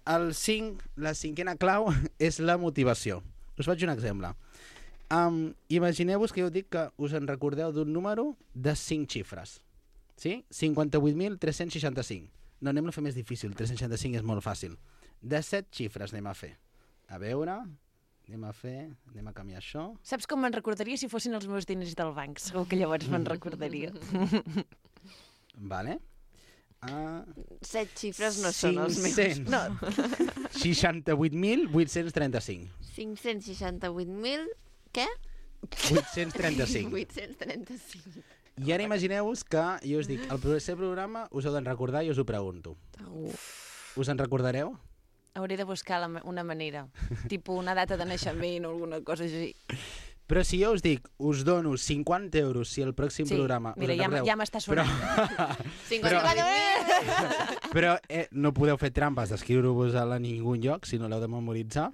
el cinc, la cinquena clau és la motivació. Us faig un exemple. Um, Imagineu-vos que jo dic que us en recordeu d'un número de cinc xifres. Sí? cinquanta-vuit mil tres-cents seixanta-cinc. No, anem a fer més difícil. tres-cents seixanta-cinc és molt fàcil. De set xifres anem a fer. A veure, anem a fer, anem a canviar això. Saps com me'n recordaria si fossin els meus diners del banc? Segur que llavors me'n recordaria. Vale. Uh, Set xifres no són els meus. cinc-cents seixanta-vuit mil vuit-cents trenta-cinc. cinc-cents seixanta-vuit mil... Què? vuit-cents trenta-cinc. vuit-cents trenta-cinc. I ara imagineu-vos que jo us dic, el proper programa us heu de recordar i us ho pregunto. Us en recordareu? Hauré de buscar la, una manera, tipus una data de naixement o alguna cosa així. Però si jo us dic, us dono cinquanta euros si el pròxim Sí, programa... mira, us ja, encarregueu, ja m'està sonant. cinquanta-vuit mil. Però eh, no podeu fer trampes d'escriure-vos a ningú lloc si no l'heu de memoritzar.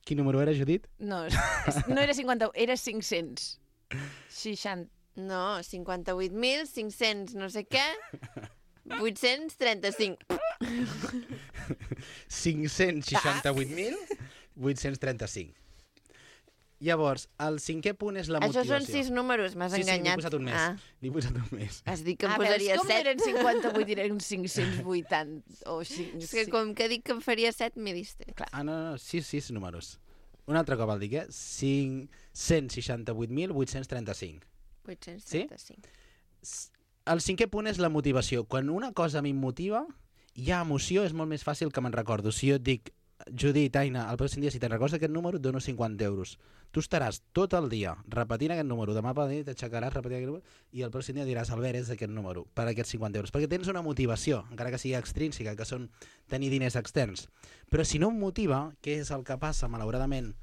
Quin número era, Judit? No, és- no era cinquanta, era cinc-cents seixanta. No, cinquanta-vuit mil cinc-cents no sé què, vuit-cents trenta-cinc. cinc-cents seixanta-vuit mil vuit-cents trenta-cinc. Llavors, el cinquè punt és la Això motivació. són sis números, m'has Sí, sí, n'he enganyat. posat un més. Ah, N'he posat un més. has dit que em Ah, posaria veus com set. eren cinquanta-vuit i eren cinc-cents vuitanta o cinc, És que com que dic que em faria set, m'he distret. Ah, no, no, sis, sis números. Un altre cop el dic, eh? cinc-cents seixanta-vuit mil vuit-cents trenta-cinc. vuit-cents trenta-cinc. El cinquè punt és la motivació. Quan una cosa m'immotiva, hi ha emoció, és molt més fàcil que me'n recordo. Si jo et dic, Judit, Aina, el pròxim dia, si te'n recordes d'aquest número, et dono cinquanta euros. Tu estaràs tot el dia repetint aquest número. Demà per la nit t'aixecaràs repetint aquest número i el pròxim dia diràs, Albert, és d'aquest número, per aquests cinquanta euros. Perquè tens una motivació, encara que sigui extrínseca, que són tenir diners externs. Però si no em motiva, què és el que passa, malauradament,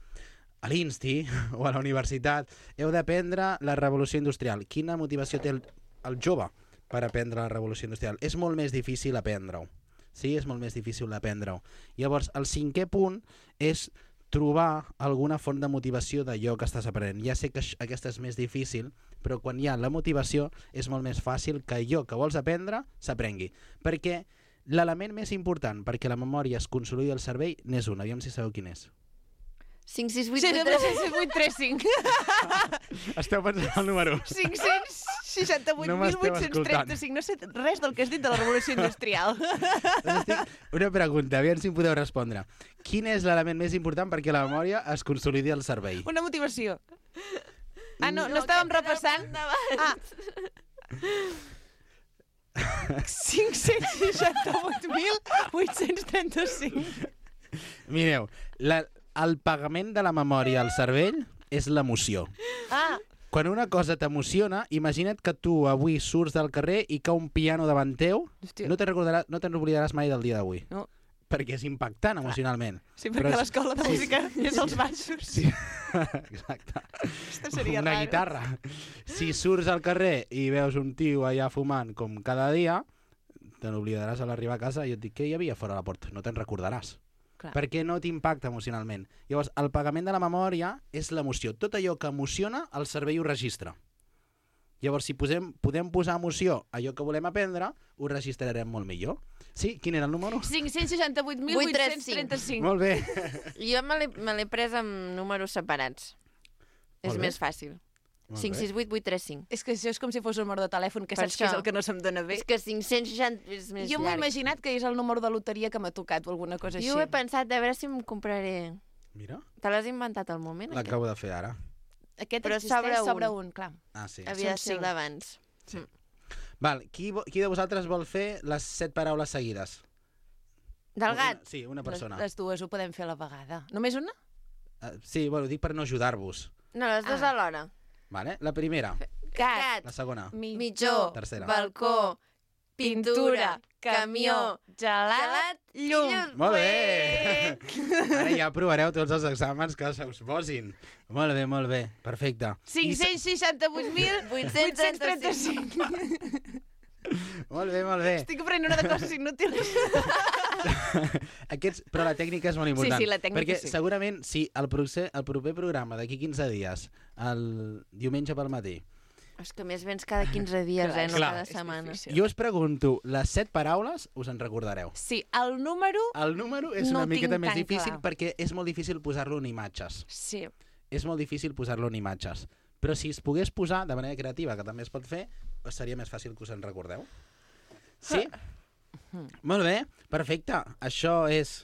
a l'Insti o a la universitat, heu d'aprendre la revolució industrial. Quina motivació té el, el jove per aprendre la revolució industrial? És molt més difícil aprendre-ho. Sí, és molt més difícil aprendre-ho. Llavors, el cinquè punt és trobar alguna font de motivació d'allò que estàs aprenent. Ja sé que això, aquesta és més difícil, però quan hi ha la motivació és molt més fàcil que allò que vols aprendre s'aprengui. Perquè L'element més important perquè la memòria es consolidi al cervell n'és un. Aviam si sabeu quin és. cinc sis vuit Sí, vuit tres tres cents vuit trenta cinc. Esteu pensant el número. cinc-cents seixanta-vuit No mil m'esteu vuit-cents trenta-cinc. No sé res del que has dit de la revolució industrial. Doncs estic... Una pregunta, aviam si em podeu respondre. Quin és l'element més important perquè la memòria es consolidi al cervell? Una motivació. Ah, no, no estàvem repassant? Ah. cinc-cents seixanta-vuit mil vuit-cents trenta-cinc. Mireu, la, el pagament de la memòria al cervell és l'emoció. Ah, Quan una cosa t'emociona, imagina't que tu avui surts del carrer i cau un piano davant teu, hòstia. no te'n recordaràs, no te'n oblidaràs mai del dia d'avui. No. Perquè és impactant emocionalment. Sí, perquè Però a és- l'escola de sí, música és als baixos. Sí, exacte. Aquesta seria Una raro. guitarra. Si surts al carrer i veus un tio allà fumant com cada dia, te n'oblidaràs a l'arribar a casa i et dic, què hi havia fora la porta? No te'n recordaràs. Clar. Perquè no t'impacta emocionalment. Llavors, el pagament de la memòria és l'emoció. Tot allò que emociona, el cervell ho registra. Llavors, si posem, podem posar emoció a allò que volem aprendre, ho registrarem molt millor. Sí? Quin era el número? cinc-cents seixanta-vuit mil vuit-cents trenta-cinc. Molt bé. Jo me l'he me l'he pres amb números separats. És Molt bé. més fàcil. Molt cinc bé. sis vuit vuit tres cinc. És que això és com si fos un número de telèfon, que Per saps que és això. el que no se'm dona bé. És que cinc-cents seixanta és més Jo m'ho he llarg. imaginat que és el número de loteria que m'ha tocat o alguna cosa així. Jo ho he pensat, a veure si em compraré... Mira, Te l'has inventat al moment? aquest? l'acabo de fer ara. Aquest Però existeix sobre un. sobre un, clar. Ah, sí. Havia de Són ser el cinc. d'abans. Val, qui, vo- qui de vosaltres vol fer les set paraules seguides? Del gat? Una, sí, una Les, persona. les dues ho podem fer a la vegada. Només una? Uh, sí, bueno, dic per no ajudar-vos. No, les dues Ah. alhora. Vale? La primera, Gat, la segona. Mitjó, Tercera. balcó, pintura, camió, gelat, gelat, llum. llum. Molt bé! Ara ja provareu tots els exàmens que se us posin. Molt bé, molt bé. Perfecte. cinc-cents seixanta-vuit mil vuit-cents trenta-cinc. Molt bé, molt bé. Estic aprenent una de coses inútils. Aquests, però la tècnica és molt important. sí, la tècnica perquè sí. segurament si el, proce, el proper programa d'aquí quinze dies, el diumenge pel matí, És que més vens cada quinze dies, eh? No Clar. cada És setmana. difícil. jo us pregunto, les set paraules us en recordareu. Sí, el número... El número és No una ho miqueta tinc més tan difícil clar. perquè és molt difícil posar-lo en imatges. Sí. És molt difícil posar-lo en imatges. Però si es pogués posar de manera creativa, que també es pot fer, seria més fàcil que us en recordeu. Sí? Molt bé, perfecte. Això és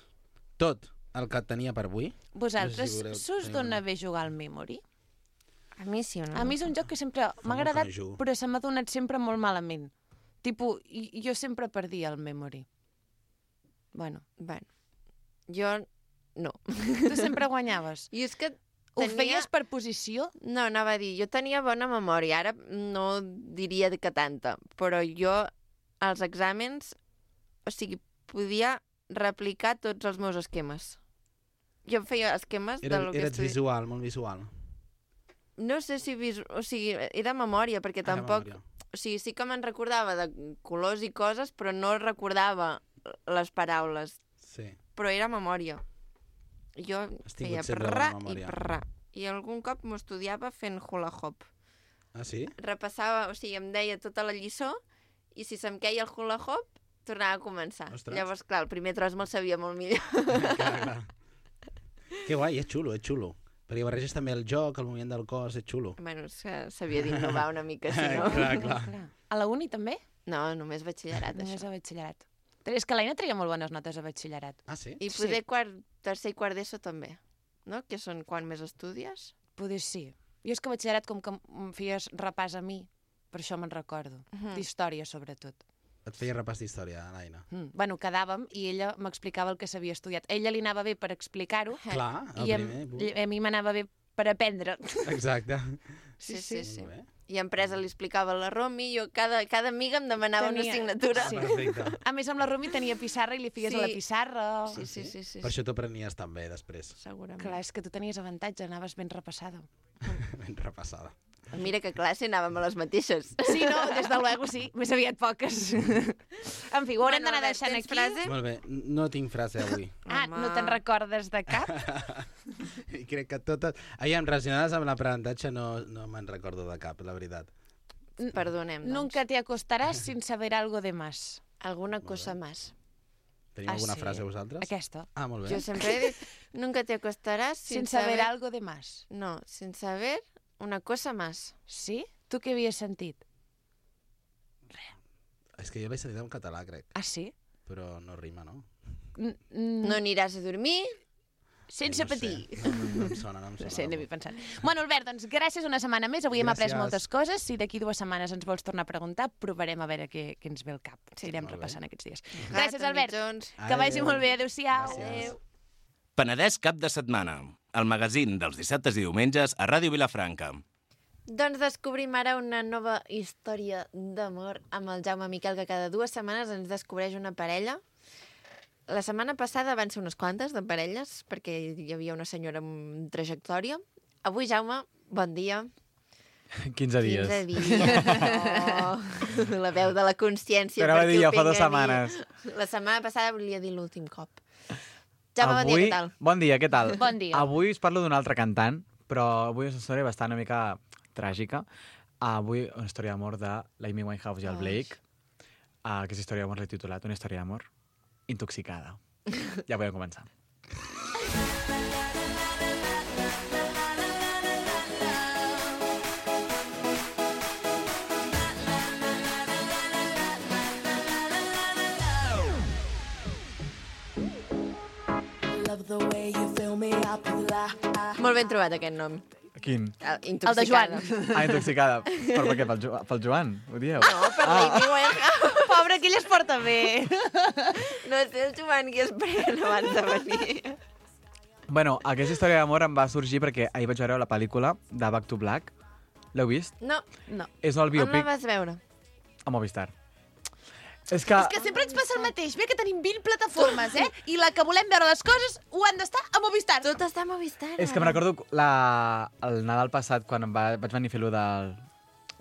tot el que tenia per avui. Vosaltres, No sé si voleu s'us tenir dona una- bé jugar al Memory? A mi sí o no? A mi és un joc que sempre m'ha molt que agradat, no hi jugo. però se m'ha donat sempre molt malament. Tipo, i- jo sempre perdia el Memory. Bueno, Bueno, jo no. tu sempre guanyaves. I és que Ho tenia... feies per posició? No, anava a dir, jo tenia bona memòria, ara no diria que tanta, però jo als exàmens, o sigui, podia replicar tots els meus esquemes. Jo feia esquemes Era, de lo que eres estudi... visual, molt visual. No sé si... Visu... O sigui, era memòria, perquè Ah, de tampoc... memòria. O sigui, sí que me'n recordava de colors i coses, però no recordava les paraules. Sí. Però era memòria. Jo Has feia tingut sempre prrra bona i memòria. prrra. I algun cop m'ho estudiava fent hula hop. Ah, sí? Repassava, o sigui, em deia tota la lliçó i si se'm queia el hula hop, tornava a començar. Ostres. Llavors, clar, el primer tros me'l sabia molt millor. clar, clar. Que guai, és xulo, és xulo. Perquè barreges també el joc, el moviment del cos, és xulo. bueno, és que s'havia d'innovar una mica, si no... clar, clar. A la uni també? No, només batxillerat, Només això. a batxillerat. És que l'Aina treia molt bones notes a batxillerat. Ah, sí? I Sí. poder quart, tercer i quart d'ESO també, no? Que són quan més estudies. Poder sí. Jo és que a batxillerat, com que em feies repàs a mi, per això me'n recordo. Mhm. D'història, sobretot. Et feia repàs d'història, l'Aina. Mm. Bueno, quedàvem i ella m'explicava el que s'havia estudiat. A ella li anava bé per explicar-ho Clar, el i em, primer. a mi m'anava bé per aprendre. Exacte. Sí, sí, sí. Molt bé. I en presa li explicava la Romi, jo cada, cada amiga em demanava Tenia- una assignatura. Sí. Perfecte. A més, amb la Romi tenia pissarra i li feies Sí. a la pissarra. Sí, sí, sí, sí, Per això t'ho prenies també després. segurament. Clar, és que tu tenies avantatge, anaves ben repassada. Ben repassada. Mira que a classe anàvem a les mateixes. Sí, no, des de luego sí, més aviat poques. En fi, ho haurem d'anar Albert, deixant tens aquí. frase? Molt bé, no tinc frase avui. Ah, Home. no te'n recordes de cap? I crec que totes... Aviam, relacionades amb l'aprenentatge no, no me'n recordo de cap, la veritat. Perdonem, doncs. Nunca te acostaràs sin saber algo de más. Alguna cosa més. Teniu Ah, alguna sí? frase vosaltres? Aquesta. Ah, molt bé. Jo sempre he dit, nunca te acostaràs Sin sin saber saber... algo de más. No, sin saber una cosa más. Sí? Tu què havies sentit? És que jo l'he sentit en català, crec, Ah, sí? però no rima, no? N -n No aniràs a dormir. Sense no sé. patir. No, no, no em sona, no em No sona. sé, anem pensant. Bueno, Albert, doncs gràcies una setmana més. Avui hem après Gràcies. moltes coses. Si d'aquí dues setmanes ens vols tornar a preguntar, provarem a veure què, què ens ve al cap. Sí, Anirem molt bé. repassant aquests dies. Gat, Gràcies, Albert. mitjons. Que vagi Adéu. molt bé. Adéu-siau. Gràcies. Penedès cap de setmana. El magazín dels dissabtes i diumenges a Ràdio Vilafranca. Doncs descobrim ara una nova història d'amor amb el Jaume Miquel, que cada dues setmanes ens descobreix una parella. La setmana passada van ser unes quantes de parelles, perquè hi havia una senyora amb trajectòria. Avui, Jaume, bon dia. quinze dies. quinze dies. Oh, la veu de la consciència. Però va per dir qui ho jo fa dues penja a dir. setmanes. La setmana passada volia dir l'últim cop. Jaume, bon dia, Avui- què tal? Bon dia, què tal? Bon dia. Avui us parlo d'un altre cantant, però avui és una història bastant una mica tràgica. Avui una història d'amor de l'Amy Winehouse i el Ai. Blake. Uh, aquesta història d'amor l'he titulat Una història d'amor intoxicada. Ja podem començar. Molt ben trobat, aquest nom. Quin? El, El de Joan. Ah, intoxicada. Però per què? Pel, jo pel Joan? Ho dieu? No, per Ah. l'Amy Winehouse. Pobre, que ell es porta bé. No sé el Joan qui es pren abans de venir. Bueno, aquesta història d'amor em va sorgir perquè ahir vaig veure la pel·lícula de Back to Black. L'heu vist? No, No. És el on la biopic vas veure? a Movistar. És que... És que sempre ens passa el mateix. Bé que tenim vint plataformes, eh? I la que volem veure les coses ho han d'estar a Movistar. Tot està a Movistar. És que me'n recordo la... el Nadal passat, quan em va... vaig venir a fer-lo del...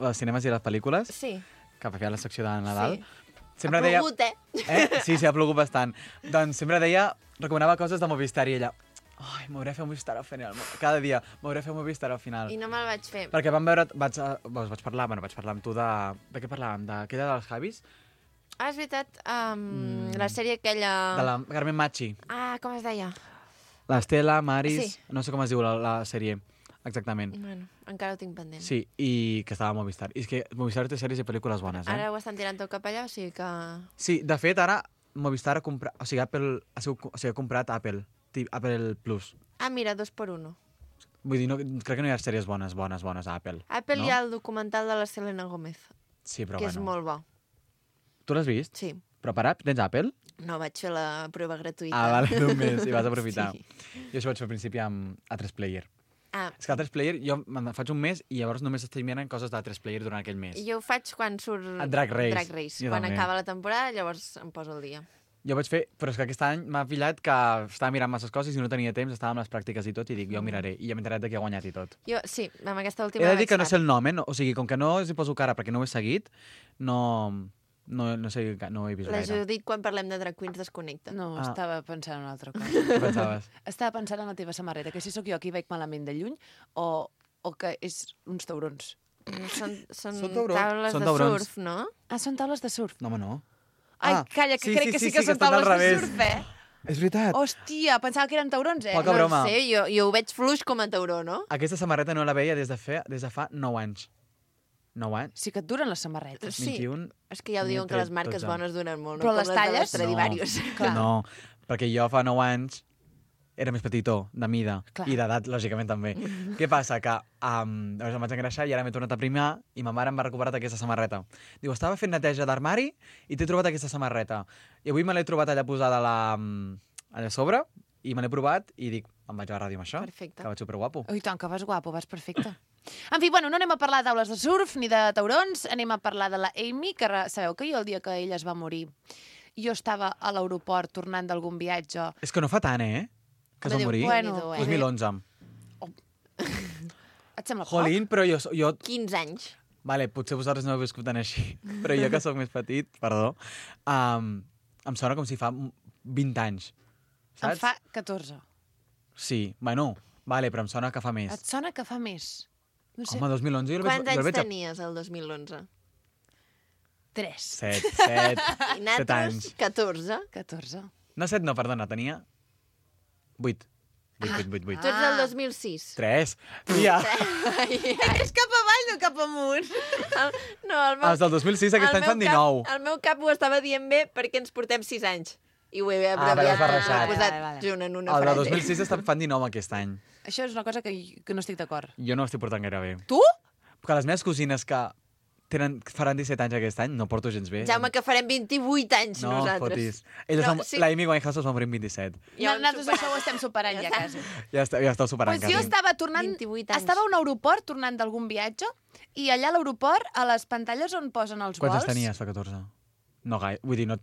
dels cinemes i les pel·lícules, Sí. que va fer la secció de Nadal. Sí. Sempre ha deia... plogut, eh? Eh? Sí, sí, ha plogut bastant. Doncs sempre deia, recomanava coses de Movistar i ella... Ai, m'hauré de fer Movistar al final. Cada dia m'hauré de fer Movistar al final. I no me'l vaig fer. Perquè vam veure... Vaig, a- doncs vaig parlar, bueno, vaig parlar amb tu de... De què parlàvem? D'aquella dels Javis? Ah, és veritat, um, Mm. la sèrie aquella... De la Carmen Machi. Ah, com es deia? L'Estela, Maris... Sí. No sé com es diu la, la sèrie, exactament. Bueno, encara ho tinc pendent. Sí, i que estava a Movistar. I és que Movistar té sèries i pel·lícules bones, eh? Ara ho estan tirant tot cap allà, o sigui que... Sí, de fet, ara Movistar ha comprat... O sigui, Apple, ha, sigut, o sigui, ha comprat Apple, Ti- Apple Plus. Ah, mira, dos per uno. Vull dir, no, crec que no hi ha sèries bones, bones, bones a Apple. Apple no? hi ha el documental de la Selena Gómez, Sí, però que bueno. és molt bo. Tu l'has vist? Sí. Però per app, tens Apple? No, vaig fer la prova gratuïta. Ah, vale, d'un mes, i vas aprofitar. Sí. Jo això ho vaig fer al principi amb A tres Player. Ah, És que A tres Player, jo me'n faig un mes i llavors només estic mirant coses d'A tres Player durant aquell mes. jo ho faig quan surt... A Drag Race. Drag Race. Jo Quan també. acaba la temporada, llavors em poso al dia. Jo vaig fer, però és que aquest any m'ha pillat que estava mirant masses coses i no tenia temps, estava amb les pràctiques i tot, i dic, jo ho miraré, i ja m'he enterat de qui ha guanyat i tot. Jo, sí, amb aquesta última He de dir vaig que no tard. sé el nom, eh? No, o sigui, com que no els hi poso cara perquè no ho he seguit, no, no, no sé, no ho he vist La gaire. Judit, quan parlem de drag queens, desconnecta. No, Ah. estava pensant en una altra cosa. Què pensaves? Estava pensant en la teva samarreta, que si sóc jo qui veig malament de lluny o, o que és uns taurons. No, Són, són, Són taurons. taules Són de taurons. surf, no? Ah, són taules de surf. No, home, no. Ai, Ah, calla, que sí, crec sí, que sí, sí, que sí, són que estan al taules de revés. surf, eh? És veritat. Hòstia, pensava que eren taurons, eh? Poca no broma. sé, jo, jo ho veig fluix com a tauró, no? Aquesta samarreta no la veia des de, fe, des de fa nou anys. nou anys? Sí que et duren les samarretes. Sí. vint-i-un... És que ja ho diuen que les marques dotze. bones duren molt, no? Però Com les de talles? Stradivarius. Clar. No, perquè jo fa nou anys era més petitó, de mida, Clar. i d'edat, lògicament, també. Què passa? Que um, llavors em vaig engreixar i ara m'he tornat a primar i ma mare em va recuperar aquesta samarreta. Diu, estava fent neteja d'armari i t'he trobat aquesta samarreta. I avui me l'he trobat allà posada a la, allà a sobre i me l'he provat i dic, em vaig a la ràdio amb això, Perfecte. que vaig superguapo. Ui, tant, que vas guapo, vas perfecte. En fi, bueno, no anem a parlar de taules de surf ni de taurons, anem a parlar de la Amy, que re- sabeu que jo el dia que ella es va morir, jo estava a l'aeroport tornant d'algun viatge. És que no fa tant, eh? Que es va Déu, morir. bueno, Déu-n'hi-do, eh? dos mil onze. Et sembla poc? Jolín, però jo... jo quinze anys. Vale, potser vosaltres no heu viscut tan així, però jo que sóc més petit, perdó, um, em sona com si fa vint anys. Em Saps? fa catorze. Sí, bueno, vale, però em sona que fa més. Et sona que fa més? No sé, Home, dos mil onze jo el veig... Quants jo el anys veig a... tenies el dos mil onze? tres. Set, set, I set nosaltres, anys. catorze. catorze. No, set no, perdona, tenia... vuit. Vuit, vuit, vuit, vuit. Tu ets del dos mil sis. Tres. Ja. És cap avall, no cap amunt. El, no, el meu, Els del dos mil sis aquest el any meu fan dinou. Cap, el meu cap ho estava dient bé perquè ens portem sis anys. I ho he Ah, vale, abreviat, has barrejat. ho he posat Vale, vale. junt en una El del frase. dos mil sis estan fan dinou aquest any. Això és una cosa que, que no estic d'acord. Jo no estic portant gaire bé. Tu? Que les meves cosines que tenen, faran disset anys aquest any, no porto gens bé. Jaume, que farem vint-i-vuit anys no, nosaltres. fotis. Elles No, No, sí. La Amy Winehouse es va morir amb vint-i-set. Ja ho hem Nosaltres superat. això ho estem superant ja, quasi. Ja, està, ja esteu superant Pues jo quasi. estava tornant... vint-i-vuit anys. Estava a un aeroport tornant d'algun viatge i allà a l'aeroport, a les pantalles on posen els Quants vols... anys tenies, fa catorze? No gaire. Vull dir, no,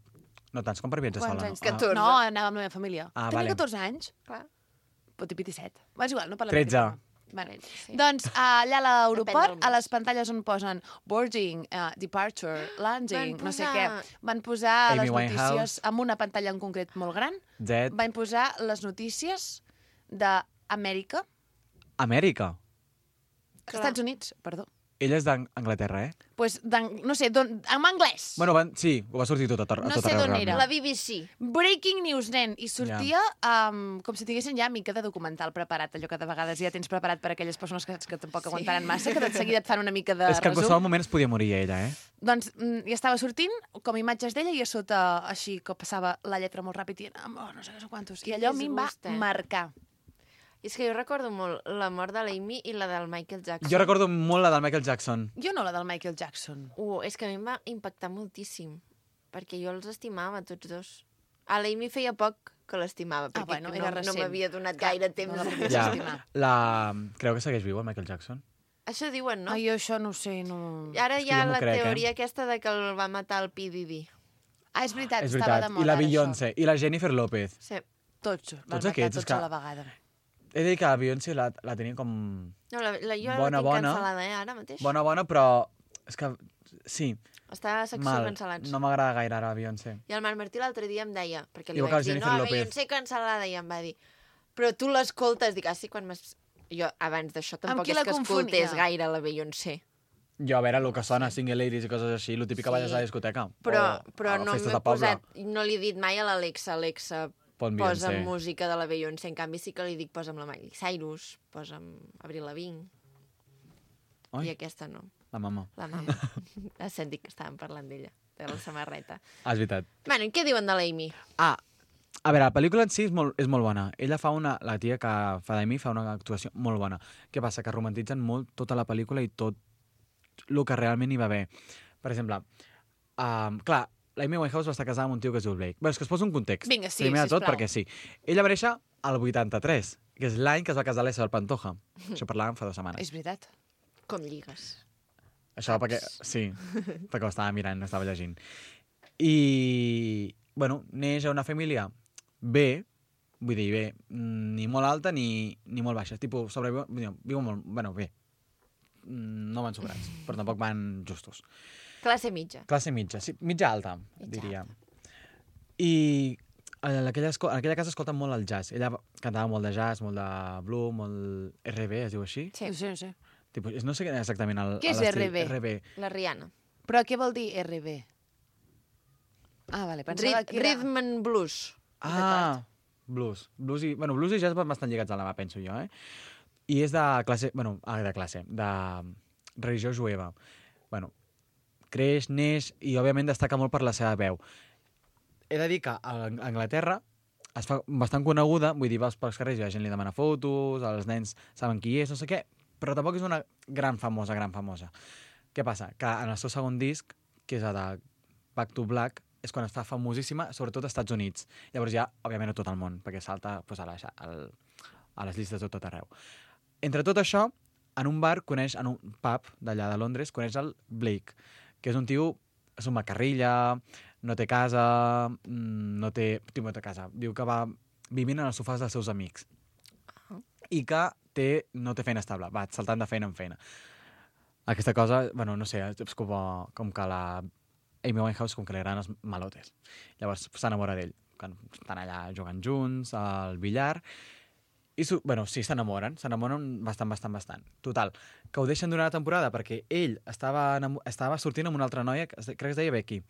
no tants com per viatjar Quants sola. anys? No? catorze. No, anava amb la meva família. Ah, Tenia vale. catorze anys. Clar. Pot dir vint-i-set. Va, és igual, no parlem tretze. d'aquest tema. Vale. Sí. Doncs allà a Depèn l'aeroport, del a mes. les pantalles on posen boarding, uh, departure, landing, Van no sé posar- què, van posar Amy les Winehouse. notícies amb una pantalla en concret molt gran, Jet. van posar les notícies d'Amèrica, Amèrica. Clar. Estats Units, perdó. Ella és d'Anglaterra, eh? Pues, no sé, don, en anglès. Bueno, van, sí, ho va sortir tot a, tot No tot sé arreu, d'on realment. era. La B B C. Breaking news, nen. I sortia um, com si tinguessin ja mica de documental preparat, allò que de vegades ja tens preparat per a aquelles persones que, que tampoc Sí. aguantaran massa, que de seguida et fan una mica de És que en resum. qualsevol moment es podia morir ella, eh? Doncs mm, ja estava sortint com imatges d'ella i a sota així que passava la lletra molt ràpid i oh, no sé què, no sé quantos. I allò a mi em va disgust, eh? marcar. I és que jo recordo molt la mort de l'Amy i la del Michael Jackson. Jo recordo molt la del Michael Jackson. Jo no la del Michael Jackson. Uh, és que a mi em va impactar moltíssim, perquè jo els estimava, tots dos. A l'Amy feia poc que l'estimava, perquè bueno, no, era no recent. m'havia donat Clar, gaire no temps. la de- podries Ja, estimar. la... Creu que segueix viu, el Michael Jackson? Això diuen, no? Ai, jo això no ho sé, no... I ara És hi que ha jo m'ho la crec, eh? teoria aquesta de que el va matar el P. Diddy. Ah, és veritat, És estava veritat. de moda I la ara, Beyoncé, i la Jennifer López. Sí. això. Tots, van Tots matar aquests, és tots que- a la vegada. He de dir que la Beyoncé la, la tenia com... No, la, la, jo Bona, la tinc bona. cancel·lada, eh, ara mateix. Bona, bona, però... És que... Sí, Està a secció mal. cancel·lats. No m'agrada gaire ara la Beyoncé. I el Marc Martí l'altre dia em deia, perquè li Igual que vaig la dir, Jennifer no, López. Beyoncé cancel·lada, i em va dir, però tu l'escoltes, dic, ah, sí, quan m'has... Jo, abans d'això, tampoc qui és la que confonia? escoltés gaire la Beyoncé. Jo, a veure, el que sona, Single Ladies i coses així, el típic que Sí. balles a la discoteca. Però, o però a no festes m'he de poble. posat, no li he dit mai a l'Alexa, Alexa, Pon posa Beyoncé. música de la Beyoncé. En canvi, sí que li dic, posa'm la Miley Cyrus, posa'm Avril Lavigne, Oi, i aquesta no, la mama. la mama. Has sentit que estàvem parlant d'ella, de la samarreta. Ah, és veritat. Bueno, i què diuen de l'Amy? Ah, a veure, la pel·lícula en si és molt, és molt bona. Ella fa una... La tia que fa d'Amy fa una actuació molt bona. Què passa? Que romantitzen molt tota la pel·lícula i tot el que realment hi va haver. Per exemple, um, clar, l'Amy Winehouse va estar casada amb un tio que es diu Blake. Bé, és que es posa un context. Vinga, sí, Primer de tot, sisplau. perquè sí. Ella va néixer al vuitanta-tres, que és l'any que es va casar l'Isabel Pantoja. Això parlàvem fa dues setmanes. És veritat. Com lligues? Això perquè... Sí, perquè ho estava mirant, no estava llegint. I, bueno, neix a una família bé, vull dir, bé, ni molt alta ni, ni molt baixa. Tipo, sobreviu... Viu molt... Bueno, bé. No van sobrats, però tampoc van justos. Classe mitja. Classe mitja, sí, mitja alta, Mitja diria. I en aquella, esco- en aquella casa escolten molt el jazz. Ella cantava molt de jazz, molt de blues, molt R B, es diu així? Sí. No sé, no sé. Tipo, no sé exactament el, Què és l'estil. R B? R B. La Rihanna. Però què vol dir R B? Ah, vale, pensava Rid que era... Rhythm and Blues. Ah, blues. Blues i, bueno, blues i jazz van bastant lligats a la mà, penso jo, eh? I és de classe, bueno, ah, de classe, de religió jueva. Bueno, creix, neix i, òbviament, destaca molt per la seva veu. He de dir que a Anglaterra es fa bastant coneguda, vull dir, vas pels carrers i la gent li demana fotos, els nens saben qui és, no sé què, però tampoc és una gran famosa, gran famosa. Què passa? Que en el seu segon disc, que és el de Back to Black, és quan es fa famosíssima, sobretot als Estats Units. Llavors ja, òbviament, a tot el món, perquè salta pues, a, la, al, a les llistes de tot arreu. Entre tot això, en un bar coneix, en un pub d'allà de Londres, coneix el Blake, que és un tio, és un macarrilla, no té casa, no té... Tio, no té casa. Diu que va vivint en els sofàs dels seus amics. I que té, no té feina estable, va saltant de feina en feina. Aquesta cosa, bueno, no sé, és com, com que la Amy Winehouse, com que li agraden els malotes. Llavors s'enamora d'ell, quan estan allà jugant junts, al billar, i, su bueno, sí, s'enamoren, s'enamoren bastant, bastant, bastant. Total, que ho deixen durant la temporada perquè ell estava, estava sortint amb una altra noia, que es- crec que es deia Becky,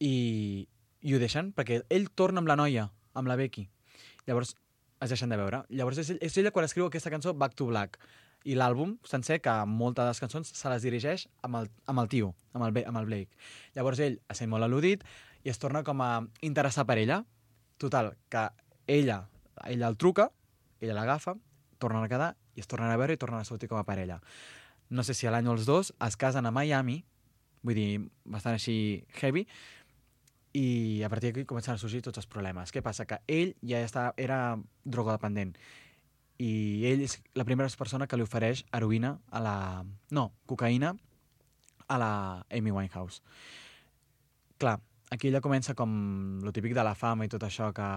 i i ho deixen perquè ell torna amb la noia, amb la Becky. Llavors es deixen de veure. Llavors és, és ella quan escriu aquesta cançó Back to Black. I l'àlbum sencer, que moltes de les cançons se les dirigeix amb el, amb el tio, amb el, amb el Blake. Llavors ell es sent molt al·ludit i es torna com a interessar per ella. Total, que ella, ella el truca, ella l'agafa, tornen a quedar i es tornen a veure i tornen a sortir com a parella. No sé si a l'any els dos es casen a Miami, vull dir, bastant així heavy, i a partir d'aquí comencen a sorgir tots els problemes. Què passa? Que ell ja està, era drogodependent i ell és la primera persona que li ofereix heroïna a la... No, cocaïna a la Amy Winehouse. Clar, aquí ella comença com lo típic de la fama i tot això, que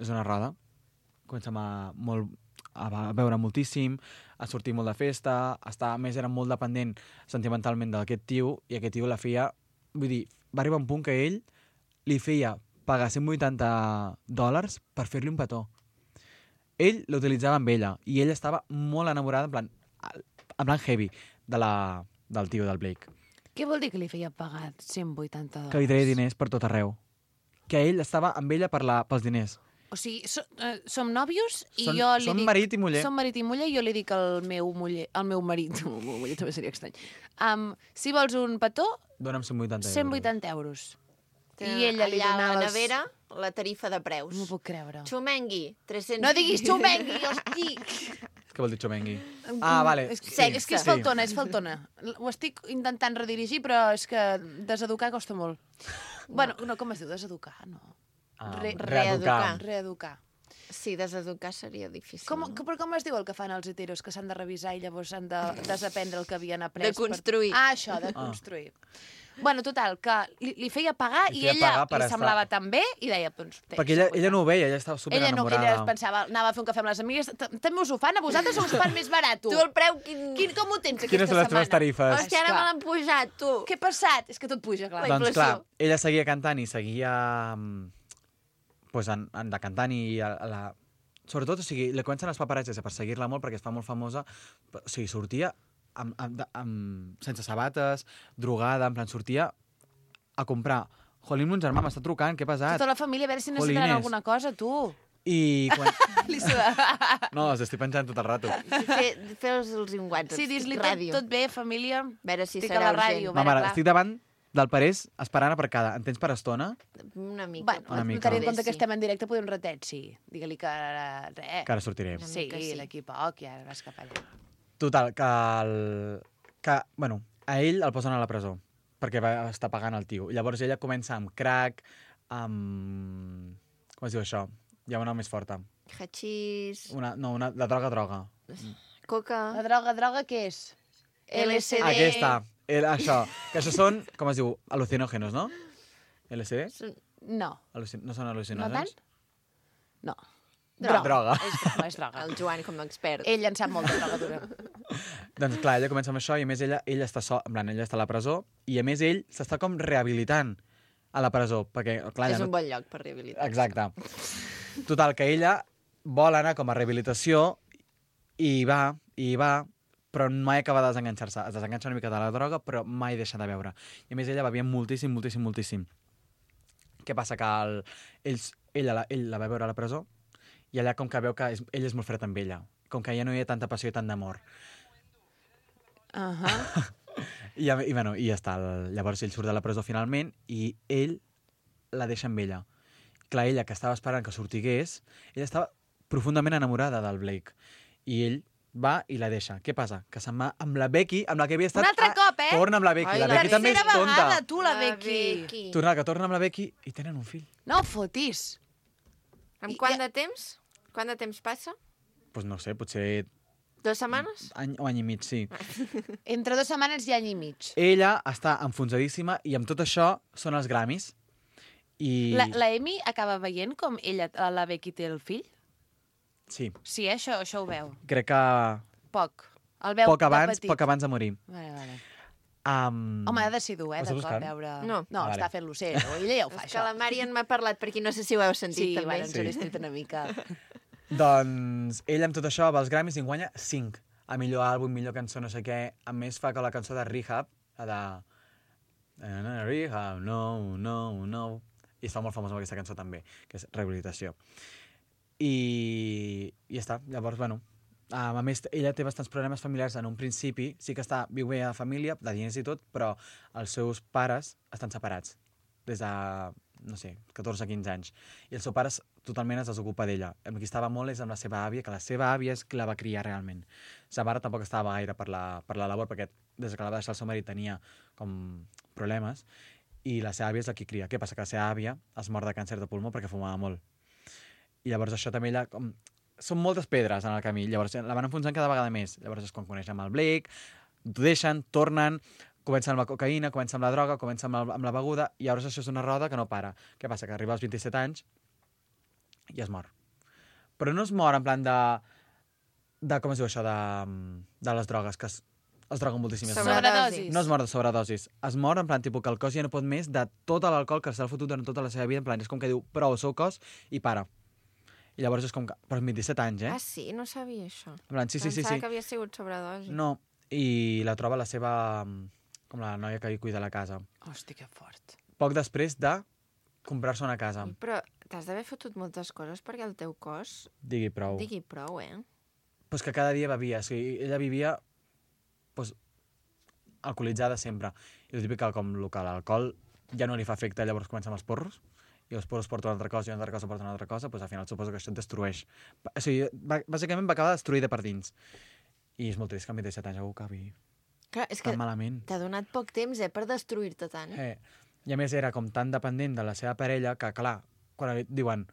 és una roda. Comença a, molt, a beure moltíssim, a sortir molt de festa, a estar, a més era molt dependent sentimentalment d'aquest tio, i aquest tio la feia... Vull dir, va arribar un punt que ell li feia pagar cent vuitanta dòlars per fer-li un petó. Ell l'utilitzava amb ella i ella estava molt enamorada, en plan, en plan heavy, de la, del tio, del Blake. Què vol dir que li feia pagar cent vuitanta dòlars? Que li treia diners per tot arreu. Que ell estava amb ella per la, pels diners. O sigui, so, uh, som nòvios i Són- jo li són dic... marit i muller. Som marit i muller i jo li dic al meu muller... Al meu marit, el meu muller també seria estrany. Um, si vols un petó, Dóna'm cent vuitanta euros. cent vuitanta euros. I Tenen ella li allà donava... a la els- nevera la tarifa de preus. No m'ho puc creure. Xumengui, tres-cents... No diguis xumengui, hosti! Què vol dir xomengui? Ah, vale. És, Sí, és que és sí. faltona, és faltona. Ho estic intentant redirigir, però és que deseducar costa molt. Bueno, no, com es diu? Deseducar? No. Ah, Re- reeducar. Reeducar. Sí, deseducar seria difícil. Com, no? que, però com es diu el que fan els heteros, que s'han de revisar i llavors han de desaprendre el que havien après? De construir. Per... Ah, això, de construir. Bueno, total, que li, li feia pagar Li i feia ella pagar per li estar- semblava tan bé i deia, doncs... té, Perquè ella, cent ella vuitanta. no ho veia, ella estava super Ella no, enamorada. ella pensava, anava a fer un cafè amb les amigues, "T- també us ho fan a vosaltres o us fan més barat, tu? Tu el preu... Quin... Quin, com ho tens aquesta Quines són les teves setmana? tarifes? Hòstia, ara me l'han pujat, tu. Què ha passat? És que tot puja, clar. La Doncs inflació. clar, ella seguia cantant i seguia mm, pues, en, en de cantant i a, a la... Sobretot, o sigui, li comencen els paparazzis a perseguir-la molt perquè es fa molt famosa. O sigui, sortia amb, amb, de- amb, sense sabates, drogada, en plan, sortia a comprar. Jolín, mon germà m'està trucant, què ha passat? Tota la família, a veure si necessitaran Jolines. alguna cosa, tu. I quan... Li suda. No, els estic penjant tot el rato. Fe, Fes-los un WhatsApp. Sí, dis-li tot, ràdio. tot bé, família. A veure si Estic a serà la ràdio. urgent. a veure, Mama, clar. estic davant del Parés esperant aparcada. En tens per estona? Una mica. Bueno, Una mica. tenint en compte que Sí. estem en directe, podem retet, sí. Digue-li que ara, res. Que ara sortiré. Una Sí, mica sí. d'aquí a poc, ja vas cap allà. Total, que, el... que bueno, a ell el posen a la presó perquè va estar pagant el tio. Llavors ella comença amb crack, amb... Com es diu això? Hi ha una més forta. Hachís, Una, no, una, la droga, droga. coca... La droga, droga, què és? L S D. Aquesta, el, això. Que això són, com es diu, al·lucinògenos, no? L S D? No. Al·lucin... No són No al·lucinògens? tant? No. Droga. Droga. És droga, és droga. El Joan com a expert. Ell en sap molt de droga dura. Doncs clar, ella comença amb això i a més ella, ella està sol, en plan, ella està a la presó i a més ell s'està com rehabilitant a la presó, perquè clar, És ja un bon lloc per rehabilitar. Exacte. Total, que ella vol anar com a rehabilitació i hi va, i hi va, però mai acaba de desenganxar-se. Es desenganxa una mica de la droga, però mai deixa de beure. I a més ella bevia moltíssim, moltíssim, moltíssim. Què passa? Que el, ells, ella, la, ell la va veure a la presó i allà com que veu que és, ell és molt fred amb ella. Com que ja no hi ha tanta passió i tant d'amor. Uh -huh. I, i, bueno, i ja està. El, llavors ell surt de la presó finalment i ell la deixa amb ella. Clar, ella, que estava esperant que sortigués, ella estava profundament enamorada del Blake. I ell va i la deixa. Què passa? Que se'n va amb la Becky, amb la que havia estat... Un altre Ah, cop, eh? Torna amb la Becky. Ai, la la Becky també és tercera tonta. vegada, tu, la Becky. Torna, que torna amb la Becky i tenen un fill. No fotis. Amb I- quant ja- de temps? Quant de temps passa? Doncs pues no sé, potser Dues setmanes? any o any i mig, sí. Entre dues setmanes i any i mig. Ella està enfonsadíssima i amb tot això són els Grammys. I... La, la Amy acaba veient com ella, la Becky té el fill? Sí, Sí, eh? això, això ho veu. crec que Poc. El veu poc de abans, petit. poc abans de morir. Vale, vale. Um... Home, ha de ser dur, eh, Ho de estàs cop, buscant? veure... No. No, Ah, vale. està fent-lo ser, ella ja ho fa, És que això. la Marian m'ha parlat, per aquí no sé si ho heu sentit Sí, també. bueno, ens Sí. ho he estret una mica. Doncs ella amb tot això va als Grammys i en guanya cinc. A millor àlbum, millor cançó, no sé què. A més fa que la cançó de Rehab, la de... Rehab, no, no, no. I es fa molt famós amb aquesta cançó també, que és Rehabilitació. I, i ja està. Llavors, bueno, a més, ella té bastants problemes familiars en un principi. Sí que està, viu bé a família, de diners i tot, però els seus pares estan separats des de, no sé, catorze a quinze anys. I el seu pare totalment es desocupa d'ella. Amb qui estava molt és amb la seva àvia, que la seva àvia és qui la va criar realment. Sa mare tampoc estava gaire per la, per la labor, perquè des que la va deixar el seu marit tenia com problemes, i la seva àvia és la qui cria. Què passa? Que la seva àvia es mor de càncer de pulmó perquè fumava molt. I llavors això també ella... Com... Són moltes pedres en el camí, llavors la van enfonsant cada vegada més. Llavors és quan coneix amb el Blake, t'ho deixen, tornen, comencen amb la cocaïna, comencen amb la droga, comencen amb, el, amb la beguda, i llavors això és una roda que no para. Què passa? Que arriba als vint-i-set anys i es mor. Però no es mor en plan de... de com es diu això? De, de les drogues, que es, es droguen moltíssimes. Sobredosis. No es mor de sobredosis. Es mor en plan tipus que el cos ja no pot més de tot l'alcohol que s'ha fotut durant tota la seva vida. En plan, és com que diu prou el seu cos i para. I llavors és com que... Però amb vint-i-set anys, eh? Ah, sí? No sabia això. En plan, sí, sí, sí, Pensava sí. que havia sigut sobredosi. No, i la troba la seva... com la noia que hi cuida la casa. Hosti, que fort. Poc després de comprar-se una casa. Però t'has d'haver fotut moltes coses perquè el teu cos Digui prou. digui prou, eh? Pues que cada dia bevia. O sigui, ella vivia pues, alcoholitzada sempre. I el típic que com el que l'alcohol ja no li fa efecte, llavors comencen els porros, i els porros porten una altra cosa i una altra cosa porten una altra cosa, pues, al final suposo que això et destrueix. O sigui, bàsicament va acabar destruïda per dins. I és molt trist que amb vint-i-set anys algú acabi Clar, és tan que malament. t'ha donat poc temps, eh, per destruir-te tant. Eh, I a més era com tan dependent de la seva parella que, clar, quan li diuen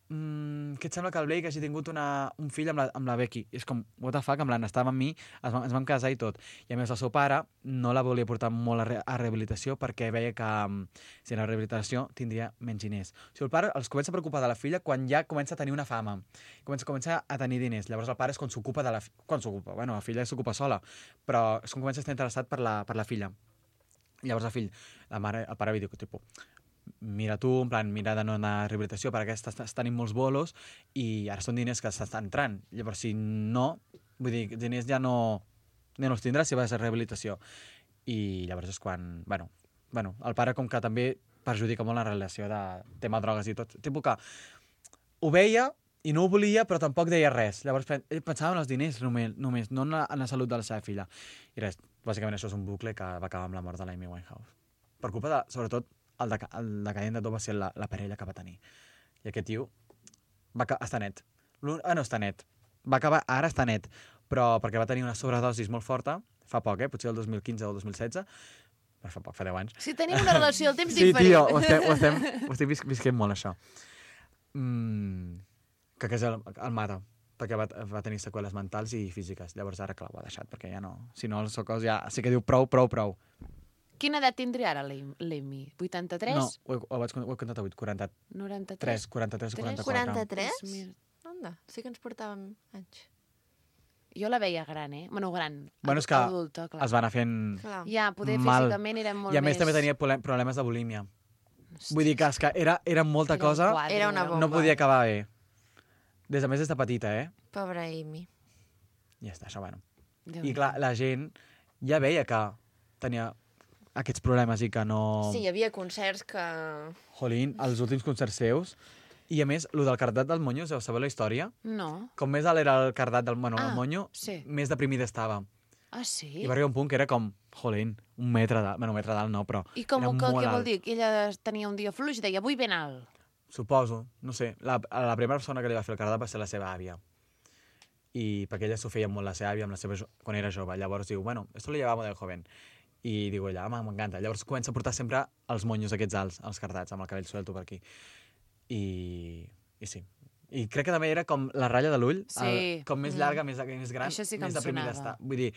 mm, què et sembla que el Blake hagi tingut una, un fill amb la, amb la Becky? I és com, what the fuck, amb la estava amb mi, es, va, ens vam casar i tot. I a més el seu pare no la volia portar molt a, re, a rehabilitació perquè veia que um, si la rehabilitació tindria menys diners. O sigui, el pare els comença a preocupar de la filla quan ja comença a tenir una fama, comença, comença a tenir diners. Llavors el pare és quan s'ocupa de la... Quan s'ocupa? Bueno, la filla s'ocupa sola, però és quan comença a estar interessat per la, per la filla. Llavors el fill, la mare, el pare li diu, tipus, mira tu, en plan, mira de no anar a rehabilitació perquè estàs, estàs tenint molts bolos i ara són diners que s'estan entrant. Llavors, si no, vull dir, diners ja no, ja no els tindràs si vas a rehabilitació. I llavors és quan, bueno, bueno, el pare com que també perjudica molt la relació de tema drogues i tot. Tipus que ho veia i no ho volia, però tampoc deia res. Llavors ell pensava en els diners només, només no en la, en la salut de la seva filla. I res, bàsicament això és un bucle que va acabar amb la mort de l'Amy Winehouse. Per culpa de, sobretot, el, deca, el decadent de tot va ser la, la parella que va tenir. I aquest tio va, està net. Ah, no està net. Va acabar, ara està net, però perquè va tenir una sobredosis molt forta, fa poc, eh? Potser el dos mil quinze o el dos mil setze, però fa poc, fa deu anys. Si tenim una relació del temps sí, diferent. Sí, tio, ho estem, ho estem, ho estem vis visquent molt, això. Mm, que que el, el mata, perquè va, va tenir seqüeles mentals i físiques. Llavors ara, clar, ho ha deixat, perquè ja no... Si no, el seu cos ja sí que diu prou, prou, prou. Quina edat tindria ara l'Amy? vuitanta-tres? No, ho he, ho vaig, ho he comptat avui, quaranta-tres, noranta-tres? quaranta-tres o quaranta-quatre. quaranta-tres? Anda, sí que ens portàvem anys. Jo la veia gran, eh? Bueno, gran, bueno, és que adulta, clar. Es va anar fent Clar. Ja, poder mal. físicament era molt I a més més... també tenia problemes de bulímia. Hosti. Vull dir que, és que era, era molta Era un cosa, quadre, Era una era un- bomba. no podia acabar bé. Des a més des de petita, eh? Pobra Amy. I ja està, això, bueno. Déu I n'hi clar, la gent ja veia que tenia aquests problemes i que no... Sí, hi havia concerts que... Jolín, els últims concerts seus. I a més, lo del cardat del monyo, us sabeu la història? No. Com més alt era el cardat del bueno, Ah, el monyo, sí. més deprimida estava. Ah, sí? I va arribar un punt que era com, jolín, un metre d'alt. Bueno, un metre d'alt no, però I com, era que, molt què vol alt. dir? Que ella tenia un dia fluix i deia, vull ben alt. Suposo, no sé. La, la primera persona que li va fer el cardat va ser la seva àvia. I perquè ella s'ho feia molt la seva àvia amb la seva, jo- quan era jove. Llavors diu, bueno, esto lo llevamos de joven. I diu ella, home, m'encanta. Llavors comença a portar sempre els monyos aquests alts, els cardats, amb el cabell suelto per aquí. I, i sí. I crec que també era com la ratlla de l'ull, Sí. el- com més llarga, més, més gran, Això sí que més em deprimida sonava. està. Vull dir,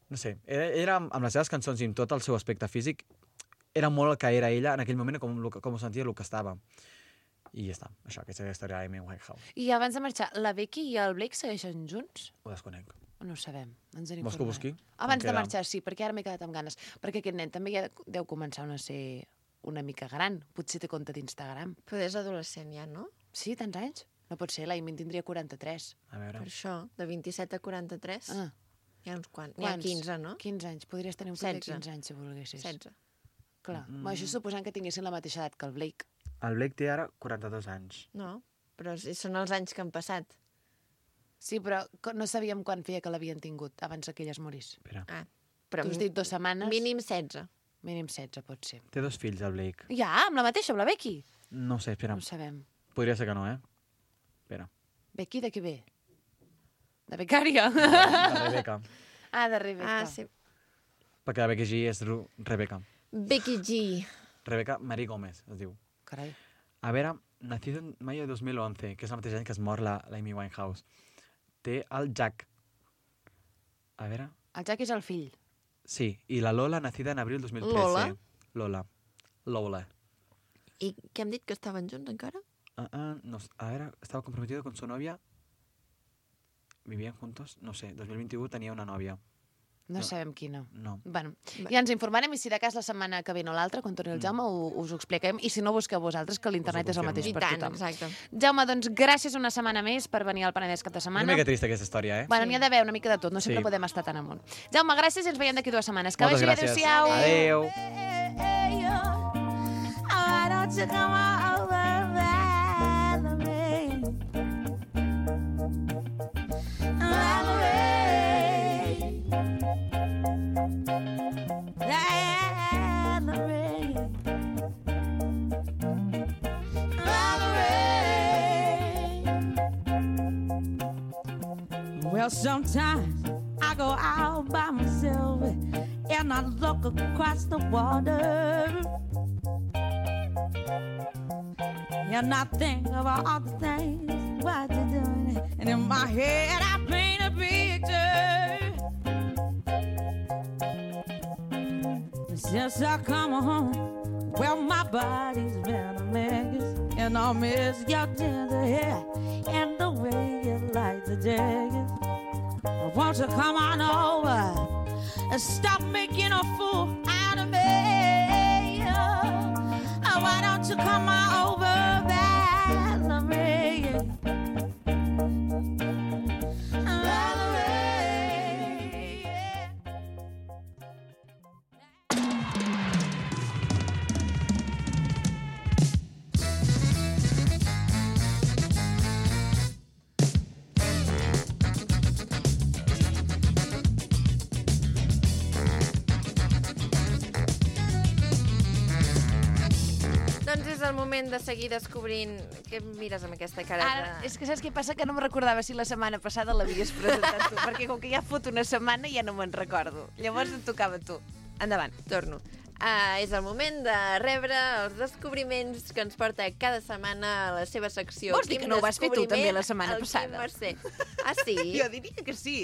no sé, era, era amb amb les seves cançons i amb tot el seu aspecte físic, era molt el que era ella en aquell moment, com, lo que- com ho sentia, el que estava. I ja està, això, aquesta és la història d'Amy Winehouse. I abans de marxar, la Becky i el Blake segueixen junts? Ho desconec. O no ho sabem? Ens en Vols que ho informarem. busqui? Abans Com de queda? marxar, sí, perquè ara m'he quedat amb ganes. Perquè aquest nen també ja deu començar a ser una mica gran. Potser té compte d'Instagram. Però és adolescent ja, no? Sí, tants anys? No pot ser, l'Amy en tindria quaranta-tres. A veure... Per això, de vint-i-set a quaranta-tres, Ah, hi ha uns quants. N'hi ha quants? quinze, no? quinze anys. Podries tenir un fill de setze. quinze anys, si volguessis. setze. Clar, mm. això suposant que tinguessin la mateixa edat que el Blake. El Blake té ara quaranta-dos anys. No, però són els anys que han passat. Sí, però no sabíem quan feia que l'havien tingut abans que ella es morís. Espera. Ah, però tu has dit dues setmanes. Mínim setze. Mínim setze, pot ser. Té dos fills, el Blake. Ja, amb la mateixa, amb la Becky? No sé, espera. No ho sabem. Podria ser que no, eh? Espera. Becky de què ve? De becària? De, de Rebecca. Ah, de Rebecca. Ah, sí. Perquè la Becky G és Ru Rebecca. Becky G. Rebecca Marie Gómez, es diu. Carai. A veure, nacido en mayo de dos mil once, que és el mateix any que es mor la, la Amy Winehouse. Té el Jack. A veure... El Jack és el fill. Sí, i la Lola, nacida en abril dos mil trece. Lola? Lola. Lola. I què hem dit, que estaven junts encara? Uh, uh, no, a veure, estava comprometido con su novia. Vivían juntos? No sé, dos mil vint-i-u tenia una nòvia. No, No. sabem quina. No. Bueno, ja ens informarem i si de cas la setmana que ve no l'altra, quan torni el Jaume, mm. us ho expliquem. I si no, busqueu vosaltres, que l'internet és el mateix I per tant, tothom. exacte. Jaume, doncs gràcies una setmana més per venir al Penedès cap de setmana. Una mica trista aquesta història, eh? Bueno, n'hi ha d'haver una mica de tot, no sempre Sí. podem estar tan amunt. Jaume, gràcies i ens veiem d'aquí dues setmanes. Que Moltes vagi bé, gràcies. adéu-siau. Adéu. Why don't you come over, Valerie? Valerie. Valerie. Valerie. Well, sometimes I go out by myself and I look across the water. And I think about all the things what you're doing. And in my head I paint a picture. Since I come home, well, my body's been a mess. And I miss your tender hair and the way you like the jacket. Won't you come on over and stop making a fool out of me? Oh, why don't you come on over, Valerie? Valerie. Doncs és el moment de seguir descobrint... Què em mires amb aquesta cara Ara, de... és que saps què passa? Que no em recordava si la setmana passada l'havies presentat tu, perquè com que ja fot una setmana ja no me'n recordo. Llavors et tocava a tu. Endavant. Torno. Uh, és el moment de rebre els descobriments que ens porta cada setmana a la seva secció. Vols dir que no ho vas fer tu també la setmana passada? Mercè. Ah, sí? Jo diria que sí.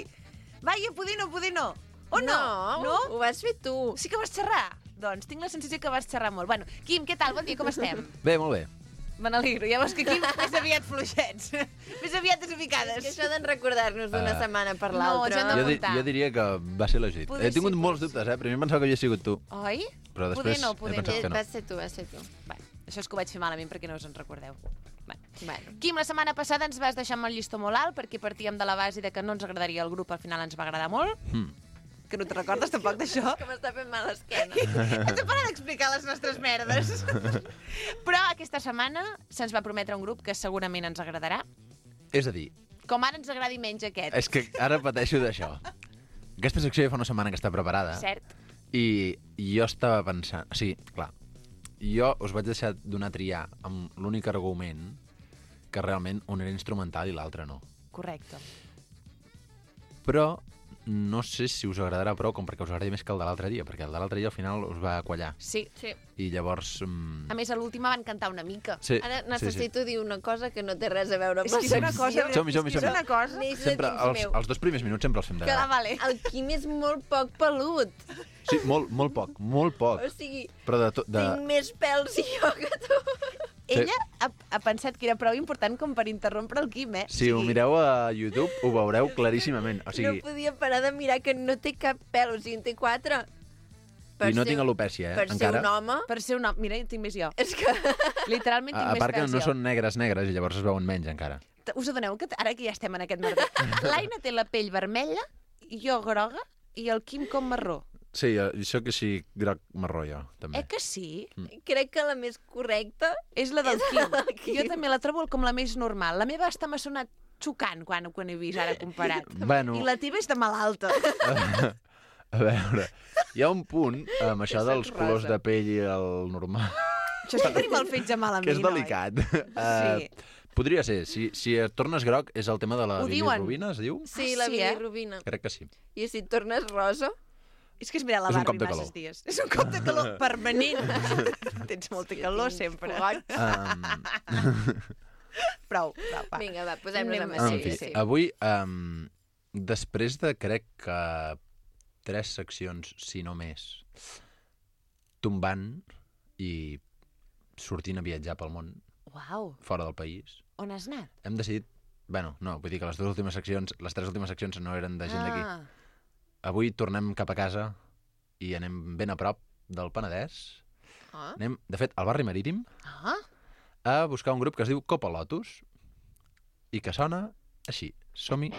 Vaja, poder no, poder no. O no? No, No? ho vas fer tu. Sí que vas xerrar? Doncs tinc la sensació que vas xerrar molt. Bueno, Quim, què tal? Bon dia, com estem? Bé, molt bé. Me n'alegro. Ja veus que aquí més aviat fluixets. més aviat És desubicades. que això d'en recordar-nos d'una Ah. setmana per No, l'altra... jo no- Jo, di apuntar. jo diria que va ser legit. Poder He tingut sí, molts poder dubtes, eh? Primer em pensava que havia sigut tu, Oi? però Poder després no, he poder pensat Eh, que no. Vas ser tu, vas ser tu. Bueno, això és que ho vaig fer malament perquè no us en recordeu. Bueno. Bueno. Quim, la setmana passada ens vas deixar amb el llistó molt alt perquè partíem de la base de que no ens agradaria el grup, al final ens va agradar molt. Hmm. Que no te recordes tampoc d'això? Que m'està fent mal l'esquena. Has de parar d'explicar les nostres merdes. Però aquesta setmana se'ns va prometre un grup que segurament ens agradarà. És a dir, Com ara ens agradi menys aquest. és que ara pateixo d'això. Aquesta secció ja fa una setmana que està preparada. Cert. I jo estava pensant... O sigui, clar, jo us vaig deixar donar triar amb l'únic argument que realment un era instrumental i l'altre no. Correcte. Però no sé si us agradarà prou com perquè us agradi més que el de l'altre dia, perquè el de l'altre dia al final us va quallar. Sí. Sí. I llavors... Mm, A més, a l'última van cantar una mica. sí, Ara sí, sí. necessito dir una cosa que no té res a veure amb És la que és una secció. cosa... Som-hi, som-hi, és que és som-hi. una cosa... Neix de Sempre, dins els, meu. els dos primers minuts sempre els fem de Que la dalt. vale. El Quim és molt poc pelut. Sí, molt, molt poc, molt poc. O sigui, Però de... To, de... tinc més pèls jo que tu. Ella ha, ha pensat que era prou important com per interrompre el Quim, eh? Si ho mireu a YouTube, ho veureu claríssimament. O sigui, No podia parar de mirar que no té cap pèl, o sigui, en té quatre. Per i no ser- tinc alopècia, eh, Per ser encara. un home, Per ser un home... Mira, en tinc més jo. és que... Literalment tinc A, a més part que pèls no jo. són negres negres i llavors es veuen menys encara. Us adoneu que ara que ja estem en aquest merder, l'Aina té la pell vermella, jo groga i el Quim com marró. Sí, jo soc així groc marró, jo, també. Eh que sí? Crec que la més correcta És la del és Quim. la del Quim. Jo també la trobo com la més normal. La meva hasta m'ha sonat xocant quan, quan he vist ara comparat. Bueno. I la teva és de malalta. A veure, hi ha un punt amb això dels rosa. colors de pell i el normal, Això és que tenim el fetge malament, que és delicat. Sí. Uh, podria ser, si, si et tornes groc és el tema de la Ho diuen. bilirrubina, es diu? Sí, Ah, la sí, eh? bilirrubina. Crec que sí. I si et tornes rosa... És que és mirar la És un Barbie cop de masses calor. dies. És un cop de calor permanent. Tens molta calor sempre. Um, Prou, prou, va. Vinga, va, posem-nos Anem- amb en això. fi, Sí, sí. avui, um, després de, crec que, tres seccions, si no més, tombant i sortint a viatjar pel món, Uau, fora del país, on has anat? hem decidit... Bueno, no, vull dir que les dues últimes seccions, les tres últimes seccions no eren de gent d'aquí. Ah, Avui tornem cap a casa i anem ben a prop del Penedès. Ah. Anem, de fet, al barri Marítim, ah. a buscar un grup que es diu Copa Lotus i que sona així. Som-hi.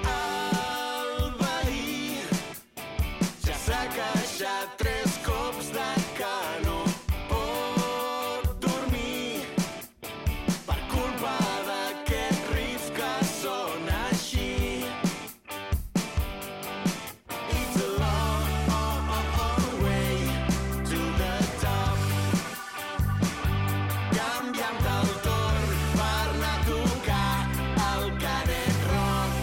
El veí ja s'ha queixat tres cops de que no pot dormir per culpa d'aquest riff que sona així. It's a long way to the top. Canviant el torn per anar a tocar el Canet Rock.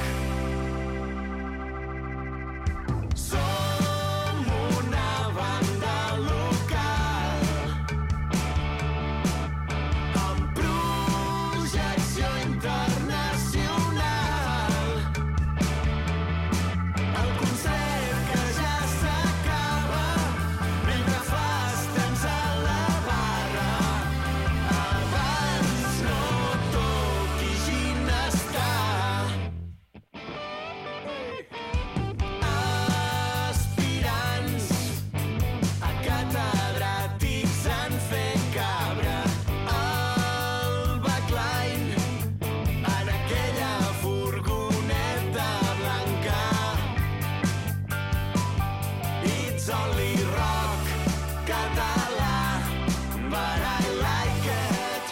Som una banda local amb projecció internacional. El concert que ja s'acaba mentre fas temps a la barra. Abans no toqui ginestar. Aspirants a catedràtics han fet cabre el backline en aquella furgoneta blanca. It's only rock català, but I like it.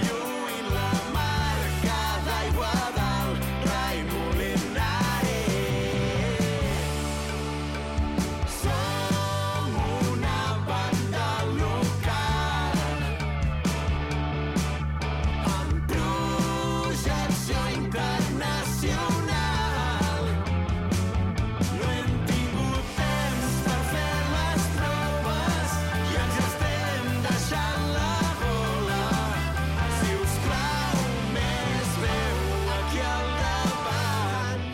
Lluint la marca d'aigua del Rai Molinari. Som una banda local amb projecció internacional. No hem tingut temps per fer les tropes i ens estem deixant la bola. Si us plau, més veu aquí al davant.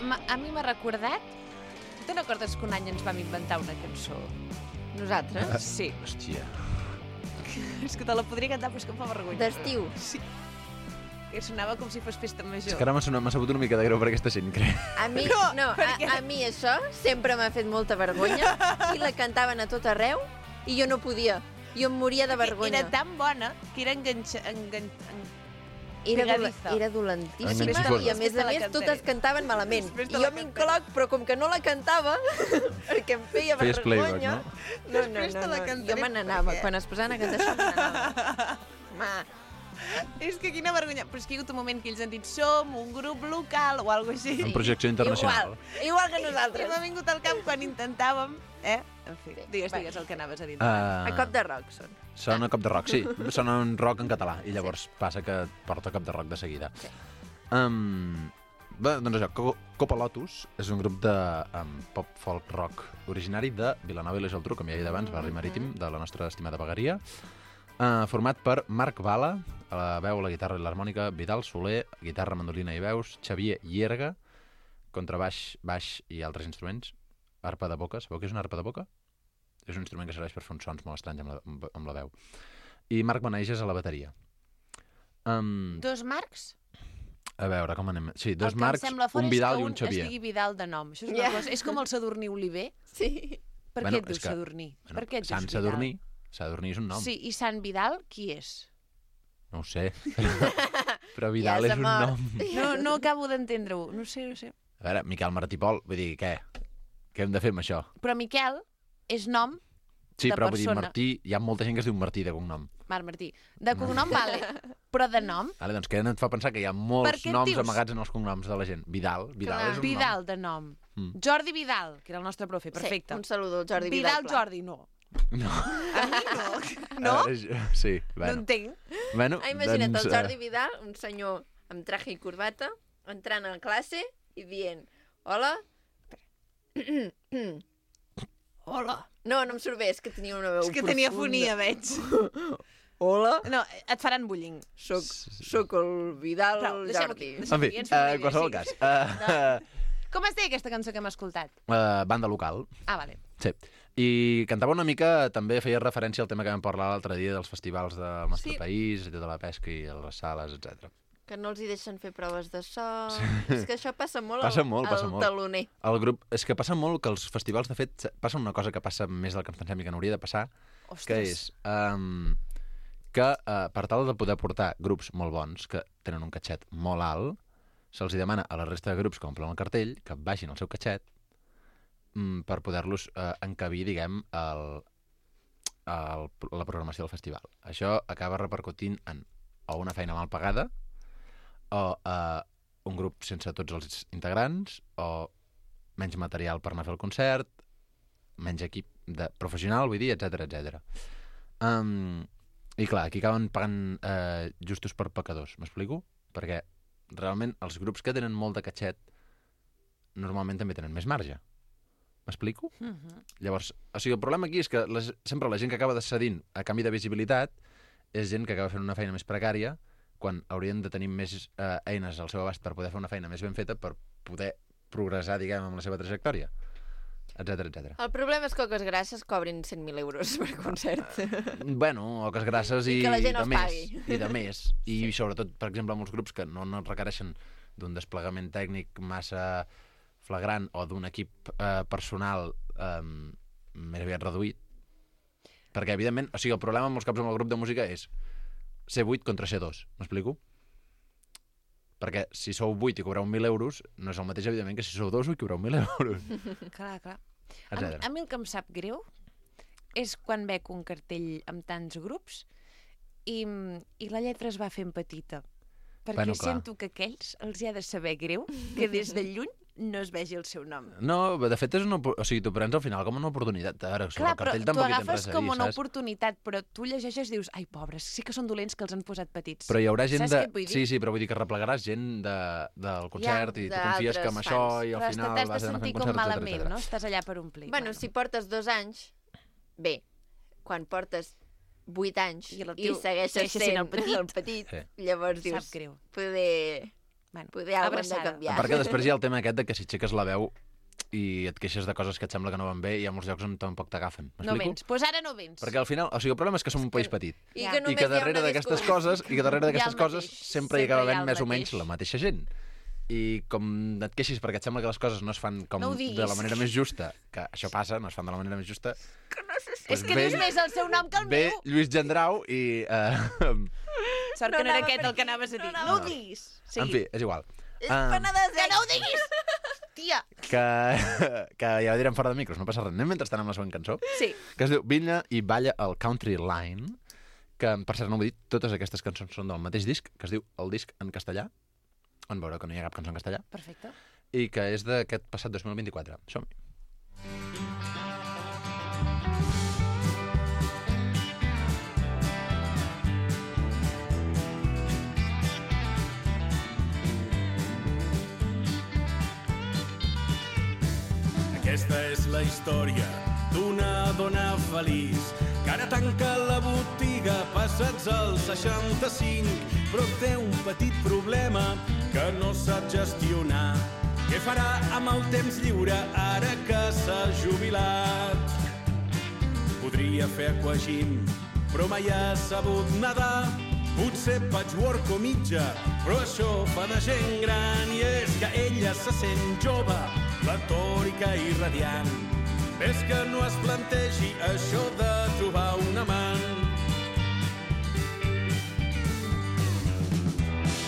Ma- A mi m'ha recordat... Te'n recordes que un any ens vam inventar una cançó? Nosaltres? Sí. Hòstia. És que te la podria cantar, però és que em fa vergonya. D'estiu. Sí. Que sonava com si fos festa major. És que ara m'ha sonat- m'ha sabut una mica de greu per aquesta gent, crec. A mi, No, no, a, perquè- a mi això sempre m'ha fet molta vergonya i la cantaven a tot arreu i jo no podia. Jo em moria de vergonya. Era tan bona que era enganxa... Engan... en- Era, dola, pegadiza. era dolentíssima Enganxifosa. i a més Després te a la més cantaré. totes cantaven malament. Després I te jo la m'incloc, però com que no la cantava, perquè em feia Feies playback, vergonya... no? No, no, Després no, te la no. cantaré Jo me n'anava. perquè- Quan es posaven a cantar això, me n'anava. Ma, És que quina vergonya. Però és que hi ha hagut un moment que ells han dit som un grup local o alguna cosa així. En projecció internacional. igual, igual que I nosaltres. m'ha vingut al cap quan intentàvem, eh? En fi, Sí. digues, Va. digues el que anaves a dir. Uh, A cop de rock són. Sona a cop de rock, sí. Sona un rock en català. I llavors passa que et porta a cop de rock de seguida. Sí. Um, bé, doncs això, Co- Copa Lotus és un grup de um, pop folk rock originari de Vilanova i la Geltrú, com ja he dit abans, barri marítim, de la nostra estimada vegueria. Uh, format per Marc Bala, a la veu, la guitarra i l'harmònica, Vidal Soler, guitarra, mandolina i veus, Xavier Llerga, contrabaix, baix i altres instruments, arpa de boca. Sabeu què és una arpa de boca? És un instrument que serveix per fer uns sons molt estranys amb la, amb, amb la veu. I Marc Beneges a la bateria. Um, Dos Marcs? a veure, com anem? Sí, dos el que Marcs, em sembla fort un és Vidal que i un Xavier. es digui Vidal de nom. Això és una Ja. cosa... És com el Sadurní Oliver. Sí. Per Bueno, què et és dius que- Sadurní? Bueno, per què et dius Sant Vidal? Sadurní, Sadurní és un nom. Sí, i Sant Vidal, qui és? No ho sé. Però Vidal Ja és un s'ha nom. No, no acabo d'entendre-ho, no sé, no sé. A veure, Miquel Martí Pol, vull dir, què? Què hem de fer amb això? Però Miquel és nom Sí, de però vull dir, persona. Martí, hi ha molta gent que es diu Martí de cognom. Marc Martí. De cognom, vale, però de nom? Vale, doncs què et fa pensar que hi ha Per molts què et noms dius? amagats en els cognoms de la gent? Vidal, Vidal Clar. és un Vidal, de nom. Mm. Jordi Vidal, que era el nostre profe, perfecte. Sí, un saludo al Jordi Vidal. Vidal, clar. Jordi, no. nom. No. A mi no. A No? veure, jo- sí, No bueno. entenc. bueno Ah, imagina't, doncs, el eh, Jordi Vidal, un senyor amb traje i corbata, entrant a classe i dient, hola. Hola. No, no em surt bé, és que tenia una veu És que profunda. tenia fonia, veig. Hola. No, et faran bullying. Soc, soc el Vidal Prou, deixem-ho Jordi. aquí. En fi, Ens eh, fa en qualsevol idea, cas. Uh, Com es deia aquesta cançó que hem escoltat? uh, banda local. Ah, vale. Sí. I cantava una mica, també feia referència al tema que vam parlar l'altre dia dels festivals del nostre Sí. país, i tota la pesca i les sales, etcètera. Que no els hi deixen fer proves de so. És que això passa molt Passa al, molt, al passa molt. taloner. El grup, és que passa molt que els festivals, de fet, passa una cosa que passa més del que ens pensem i que no hauria de passar, Ostres. que és um, que uh, per tal de poder portar grups molt bons, que tenen un catxet molt alt, se'ls demana a la resta de grups que omplen el cartell que baixin el seu catxet um, per poder-los uh, encabir, diguem, el, el, la programació del festival. Això acaba repercutint en o una feina mal pagada, o uh, un grup sense tots els integrants, o menys material per anar a fer el concert, menys equip de professional, vull dir, etcètera, etcètera. Um, I clar, aquí acaben pagant uh, justos per pecadors, m'explico? Perquè realment els grups que tenen molt de catxet normalment també tenen més marge. M'explico? Uh -huh. Llavors, o sigui, el problema aquí és que les, sempre la gent que acaba cedint a canvi de visibilitat és gent que acaba fent una feina més precària quan haurien de tenir més eh, eines al seu abast per poder fer una feina més ben feta per poder progressar, diguem, amb la seva trajectòria, etcètera, etcètera. El problema és que Coques Grasses cobrin cent mil euros per concert. Bueno, oques grasses i, I que la gent de els més. pagui. I de més. I sí. Sobretot, per exemple, amb els grups que no, no requereixen d'un desplegament tècnic massa flagrant o d'un equip eh, personal eh, més aviat reduït. Perquè, evidentment, o sigui, el problema amb molts cops amb el grup de música és ser vuit contra ser dos, m'explico? Perquè si sou vuit i cobreu mil euros, no és el mateix, evidentment, que si sou dos i cobreu mil euros, Clar, clar. A, etcètera. a mi el que em sap greu és quan veig un cartell amb tants grups i, i la lletra es va fent petita. Perquè Bueno, bueno, clar. sento que aquells els hi ha de saber greu que des de lluny no es vegi el seu nom. No, de fet, és una, opor- o sigui, t'ho prens al final com una oportunitat. Ara, sobre Clar, el però cartell tu tampoc hi tens agafes res a com dir, una saps? oportunitat, però tu llegeixes i dius, ai, pobres, sí que són dolents que els han posat petits. Però hi haurà gent Saps de... què et vull dir? Sí, sí, però vull dir que replegaràs gent de, del concert Ja, i tu confies que amb d'altres això fans. i al Però final t'has de vas anar sentir fent com concerts, etcètera, malament, etcètera. no? Estàs allà per omplir. Bueno, si portes dos anys, bé, quan portes vuit anys I el i, tio segueixes segueixes sent sent el petit. el petit Sí. llavors Sap dius, greu. poder, Bueno, poder alguna hem de abraçada. canviar. Perquè després hi ha el tema aquest de que si aixeques la veu i et queixes de coses que et sembla que no van bé, hi ha molts llocs on tampoc t'agafen. No M'explico? vens. Doncs pues ara no vens. Perquè al final, o sigui, el problema és que som un país petit. I Ja. que I només que hi ha darrere una d'aquestes disco- coses, i que darrere Hi ha d'aquestes el coses mateix. sempre hi acaba Sempre hi ha havent el més o menys mateix. la mateixa gent. I com et queixis perquè et sembla que les coses no es fan com No ho de diguis. la manera més justa, que això passa, no es fan de la manera més justa, És que dius més el seu nom que el ve meu. Lluís Gendrau i... Eh, Sort No que no era anava aquest per el que aquí, anaves a dir. no No, anava. ho diguis. Sí. En fi, és igual. És Ah, penedesenc. Que no ho diguis! Tia. que, que ja ho direm fora de micros, no passa res. Anem mentrestant amb la següent cançó, Sí. que es diu Vine i balla al Country Line, que, per cert, no m'ho he dit, totes aquestes cançons són del mateix disc, que es diu El disc en castellà, on veureu que no hi ha cap cançó en castellà, Perfecte. i que és d'aquest passat dos mil vint-i-quatre. Som-hi. Aquesta és la història d'una dona feliç que ara tanca la botiga passats els seixanta-cinc, però té un petit problema que no sap gestionar. Què farà amb el temps lliure ara que s'ha jubilat? Podria fer aquagym, però mai ha sabut nedar. Potser patchwork o mitja, però això fa de gent gran. I és que ella se sent jove, platòrica i radiant. ves que no es plantegi això de trobar un amant.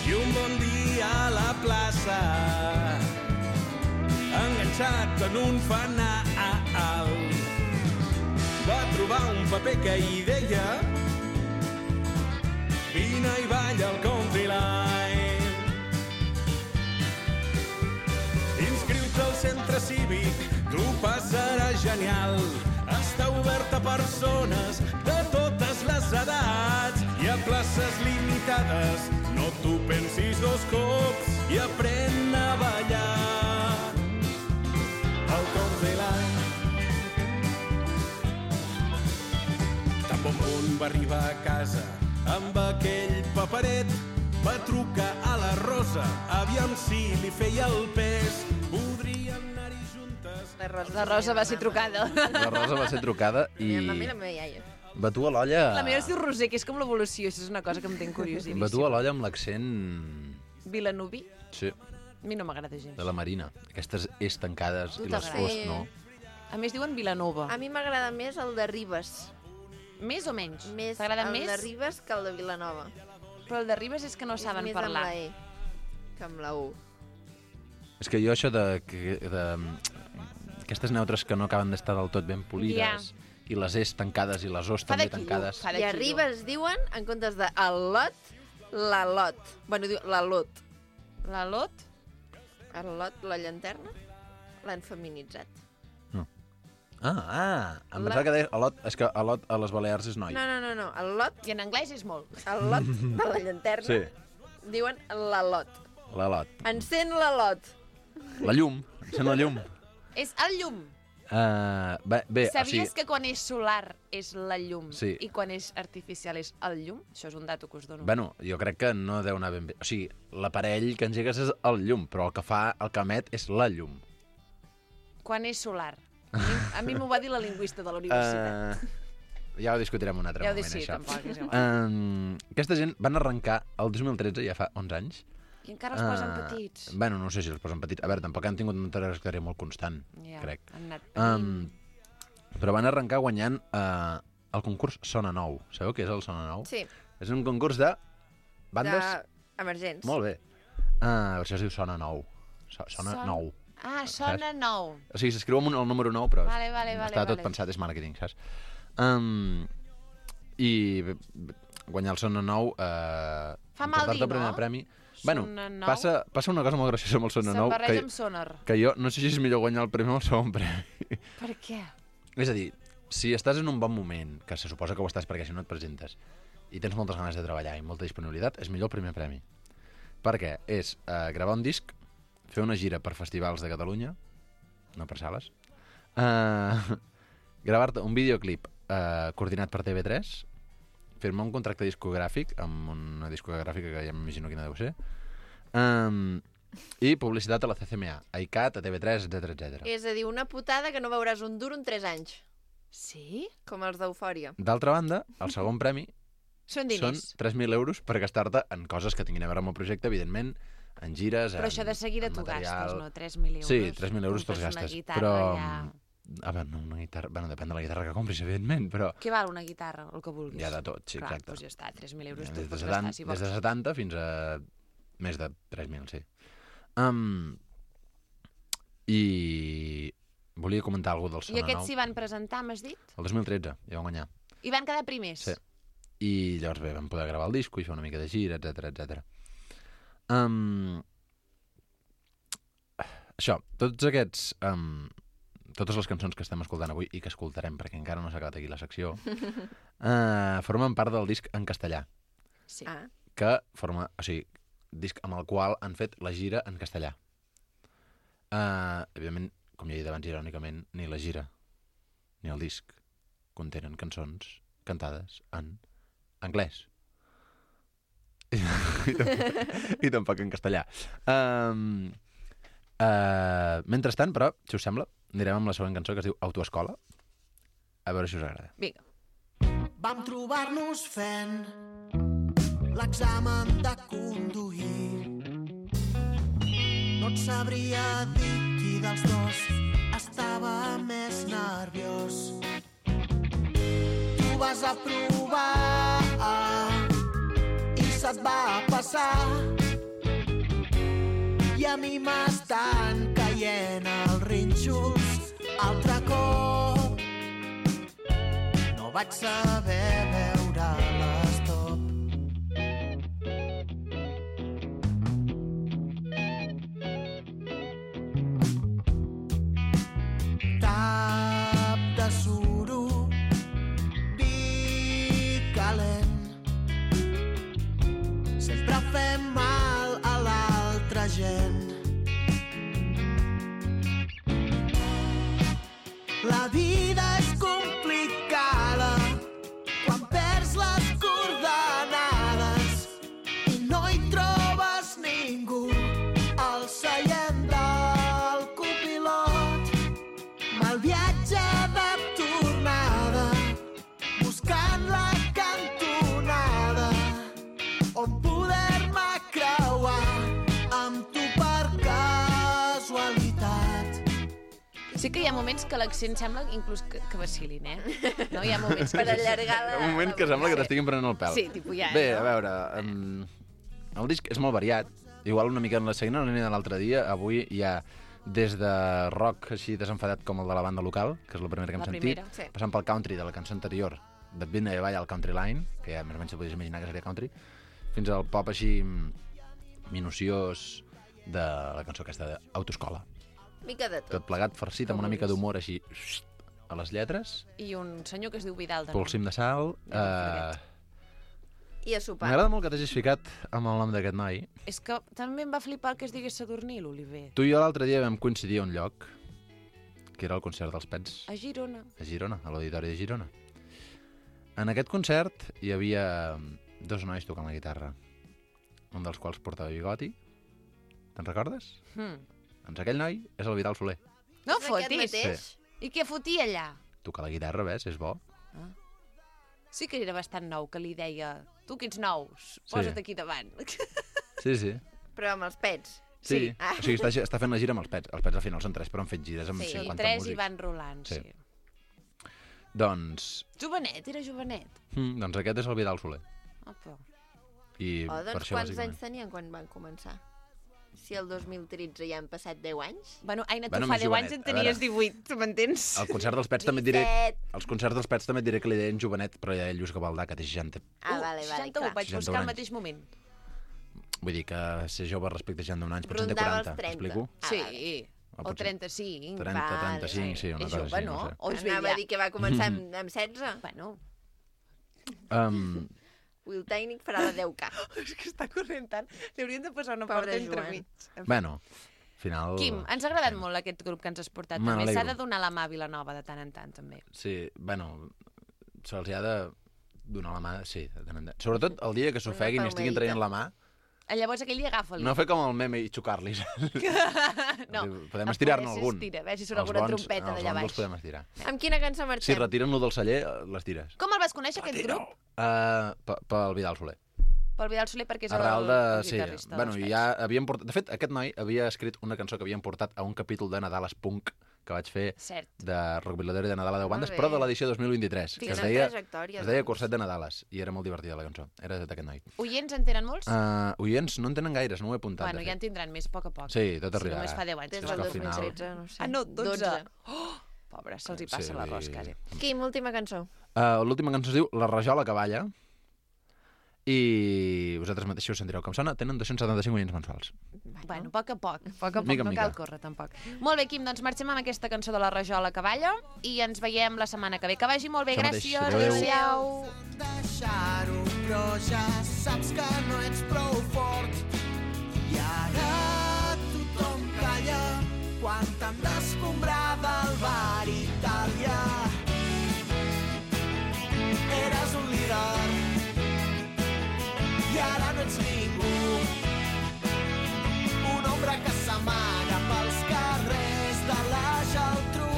I un bon dia a la plaça, enganxat en un fanal, va trobar un paper que hi deia vine i balla al country line. Inscriu-te al centre cívic, t'ho passaràs genial. Està obert a persones de totes les edats i a places limitades. No t'ho pensis dos cops i aprèn a ballar al country line. Tan bon punt va arribar a casa amb aquell paperet, va trucar a la Rosa, aviam si li feia el pes. Podrien anar-hi juntes. La Rosa, La Rosa va ser trucada. La Rosa va ser trucada i... La meva, la meva iaia. Batua l'olla... La meva es diu Roser, que és com l'evolució, això és una cosa que em té curiosíssim. Batua l'olla amb l'accent... Vilanoví? Sí, A mi no m'agrada gens. de la Marina. Aquestes és tancades Tu i les t'agrada? fos, no. A més diuen Vilanova. A mi m'agrada més el de Ribes. Més o menys? Més T'agrada el més? de Ribes que el de Vilanova. Però el de Ribes és que no saben és més parlar. amb la E que amb la U. És que jo això de... que- de aquestes neutres que no acaben d'estar del tot ben polides i les es tancades i les os Fa de també quilo, tancades. fa de I a quilo. Ribes diuen, en comptes de el lot, la lot. Bueno, diu la lot. La Lot? El lot, la llanterna, l'han feminitzat. Ah, ah, em La- pensava que deies Alot, és que Alot a les Balears és noi. No, no, no, no. El lot, I en anglès és molt. el lot de la llanterna, Sí, diuen la lot. l'Alot. Encén la lot. La llum, encén la llum. És el llum. Uh, bé, bé, o Sabies sigui, que quan és solar és la llum Sí. i quan és artificial és el llum? Això és un dato que us dono. bueno, jo crec que no deu anar ben bé. O sigui, l'aparell que engegues és el llum, però el que fa, el que emet és la llum. Quan és solar. A mi, a mi m'ho va dir la lingüista de la universitat. Uh, ja ho discutirem un altre Ja ho moment, decidim, això. tampoc, és igual. Uh, aquesta gent van arrencar el dos mil tretze, ja fa onze anys. I encara els posen Ah, petits. Bueno, no sé si els posen petits. A veure, tampoc han tingut una trajectòria molt constant, Ja, crec. han anat Um, però van arrencar guanyant uh, el concurs Sona Nou. Sabeu què és el Sona Nou? Sí, És un concurs de bandes... emergents. Molt bé. Uh, això es diu Sona Nou. So, sona Son- Nou. Ah, sona nou. O sigui, s'escriu amb un- el número nou, però Vale, vale, vale, està tot vale. pensat, és màrqueting, saps? Um, I bé, bé, guanyar el Sona Nou... Uh, Fa mal dir, el primer no? premi. Bueno, Sona Nou. passa, passa una cosa molt graciosa amb el Sona Nou, S'embarreja que, amb sonar. que jo no sé si és millor guanyar el premi o el segon premi. Per què? És a dir, si estàs en un bon moment, que se suposa que ho estàs perquè si no et presentes, i tens moltes ganes de treballar i molta disponibilitat, és millor el primer premi. Perquè és uh, gravar un disc, fer una gira per festivals de Catalunya, no per sales, uh, gravar-te un videoclip uh, coordinat per T V tres, firmar un contracte discogràfic amb una discogràfica que ja m'imagino quina deu ser, um, i publicitat a la C C M A, a ICAT, a T V tres, etcètera, etcètera. És a dir, una putada que no veuràs un duro en tres anys, Sí? com els d'Eufòria. D'altra banda, el segon premi Són són diners. tres mil euros per gastar-te en coses que tinguin a veure amb el projecte, evidentment, en gires, Però en, això de seguida en t'ho material. gastes, no? tres mil euros. Sí, tres mil euros te'ls Compres una gastes. guitarra, Però, ja... a veure, no, una guitarra... Bueno, depèn de la guitarra que compris, evidentment, però Què val una guitarra? El que vulguis. hi ha de tot, sí, Clar, exacte. doncs ja està, tres mil euros Des te'ls de, pots setanta, gastar, si vols. des de setanta fins a més de tres mil, sí. Um, I volia comentar alguna cosa del I Sona aquests Nou. s'hi van presentar, m'has dit? El dos mil tretze, ja van guanyar. I van quedar primers? Sí. I llavors bé, vam poder gravar el disco i fer una mica de gira, etcètera, etcètera. Um, això, tots aquests... Um, totes les cançons que estem escoltant avui i que escoltarem, perquè encara no s'ha acabat aquí la secció, uh, formen part del disc en castellà, Sí. Ah, que forma, o sigui, disc amb el qual han fet la gira en castellà. Uh, evidentment, com ja he dit abans irònicament, ni la gira ni el disc contenen cançons cantades en anglès. I, i tampoc en castellà. Um, uh, mentrestant, però, si us sembla, anirem amb la següent cançó que es diu Autoescola. A veure si us agrada. Vinga. Vam trobar-nos fent l'examen de conduir. No et sabria dir qui dels dos està estava més nerviós. Tu vas a provar i se't va passar. I a mi m'estan caient els rínxols altre cop. No vaig saber veure l'estop. Tap de suro, vi calent. Sempre fem mal a l'altra gent. La vida és complicada quan perds les coordenades i no hi trobes ningú al seient del copilot. Mal viatge de tornada buscant la cantonada on poder-me creuar amb tu per casualitat. Sí que hi ha moments que l'accent sembla inclús que, que vacilin, eh? No, hi ha moments Per allargar la... Un moment que sembla que t'estiguin prenent el pèl. Sí, tipus ja, Bé, no? a veure, um, el disc és molt variat. Igual una mica en la seguint en la línia de l'altre dia, avui hi ha des de rock així desenfadat com el de la banda local, que és la primera que hem La sentit, primera, sí. passant pel country de la cançó anterior, de Vidna i Vall al Country Line, que ja més o menys se podies imaginar que seria country, fins al pop així minuciós de la cançó aquesta d'Autoescola. Mica de tot. Tot plegat farcit amb una mica d'humor així a les lletres, I un senyor que es diu Vidal, també. polsim de sal... Eh, I a sopar. M'agrada molt que t'hagis ficat amb el nom d'aquest noi. És que també em va flipar que es digués Sadurní, l'Oliver. Tu i jo l'altre dia vam coincidir a un lloc, que era el concert dels Pets, A Girona. a Girona, a l'Auditori de Girona. En aquest concert hi havia dos nois tocant la guitarra, un dels quals portava bigoti. Te'n recordes? Hmm. Doncs aquell noi és el Vidal Soler. No És aquest fotis. mateix? I què fotia allà? Tocar la guitarra, ves, és bo. Sí que era bastant nou, que li deia tu que ets nou, posa't aquí davant. Sí, sí. Però amb els pets. Sí, Ah. o sigui, està, està fent la gira amb els Pets. Els Pets al final són tres, però han fet gires amb Sí, cinquanta tres músics. i van rolant, sí. Sí. Doncs, Jovenet, era jovenet. mm, doncs aquest és el Vidal Soler. Opa. I Oh, per doncs això, quants bàsicament. anys tenien quan van començar? Si el dos mil tretze ja han passat deu anys? Bueno, Aina, tu Bueno, fa més deu anys jovenet, en a tenies veure. divuit, tu m'entens? Al concert dels Pets també et diré... disset. Els concerts dels Pets també et diré que li deien jovenet, però ja Lluís Gavaldà, que té seixanta... Ah, vale, vale, seixanta-u, clar. vaig seixanta-un buscar al anys. mateix moment. Vull dir que ser jove respecte a seixanta-un anys, potser en té Rondava els quaranta, trenta. explico? Ah, Sí, vale. O o potser trenta-cinc. trenta, vale. trenta-cinc, sí, una És cosa jove, així, no? no sé. O és Anava vella? a dir que va començar amb, amb setze. Bueno, Um, Avui el tècnic farà la deu K. és que està corrent tant. Li hauríem de posar una Pobre porta entre Joan. mig. bueno, al final... Quim, ens ha agradat molt aquest grup que ens has portat. Me També s'ha n'alegro. de donar la mà a Vilanova de tant en tant, també. Sí, bueno, se'ls ha de donar la mà, sí, de tant en tant. Sobretot el dia que s'ofeguin i estiguin traient la mà, Eh, Llavors aquell dia agafa-li. no fer com el meme i xocar-li. no. Podem el estirar-ne poder algun. s'estira, a veure si surt Els alguna bons- trompeta els d'allà bons baix. els podem estirar. Amb quina cançó Si marxem? retiren-lo del celler, les tires. Com el vas conèixer, aquest grup? Uh, pel Vidal Soler. Pel Vidal Soler, perquè és Arrel el, de... el Sí, guitarrista bueno, dels ja havien portat... De fet, aquest noi havia escrit una cançó que havien portat a un capítol de Nadales Punk que vaig fer Cert. de Rockvilador i de Nadal a deu bandes, bé. però de l'edició dos mil vint-i-tres, que Quina es deia, trajectòria, es deia doncs. Curset de Nadales, i era molt divertida la cançó. Era d'aquest noi. Oients en tenen molts? Uh, oients no en tenen gaires, no ho he apuntat. bueno, de ja en fet. tindran més, a poc a poc. Sí, tot Si arribarà. només fa deu anys. Des És del que al dos mil final- tretze, no sé. Ah, no, dotze. dotze. Oh, pobre, se'ls hi passa Sí, l'arròs, vull dir- quasi. Quim, última cançó. Uh, L'última cançó es diu La rajola que balla, i vosaltres mateixos sentireu com sona. Tenen dos-cents setanta-cinc oients mensuals. Bueno, a poc a poc, a poc a poc, Mica en no mica. cal córrer tampoc. Molt bé, Quim, doncs marxem amb aquesta cançó de la Rajola que balla i ens veiem la setmana que ve. Que vagi molt bé, Això mateix. gràcies. Adéu. Adéu. deixar-ho, però ja saps que no ets prou fort. I ara tothom calla quan t'han d'escombrar del bar Itàlia. Eres un líder i ara no ets ningú. Un ombra que s'amaga pels carrers de la Geltrú.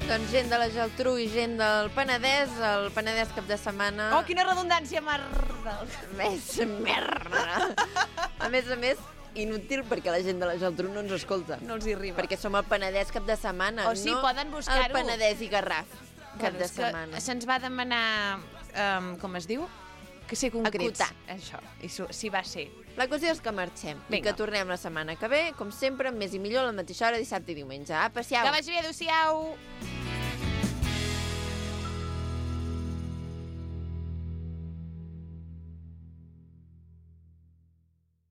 Doncs gent de la Geltrú i gent del Penedès, el Penedès cap de setmana... Oh, quina redundància, merda! Més merda! A més a més, inútil perquè la gent de la Geltrú no ens escolta. No els hi arriba. Perquè som el Penedès cap de setmana, O sí, no poden buscar-ho. el Penedès i Garraf cap Bueno, de és que setmana. se'ns va demanar, um, com es diu? Que ser concrets. Acotar. Això, i so, sí va ser. La qüestió és que marxem Vinga. i que tornem la setmana que ve, com sempre, amb més i millor, a la mateixa hora, dissabte i diumenge. Apa, siau! Que vagi bé, adéu-siau!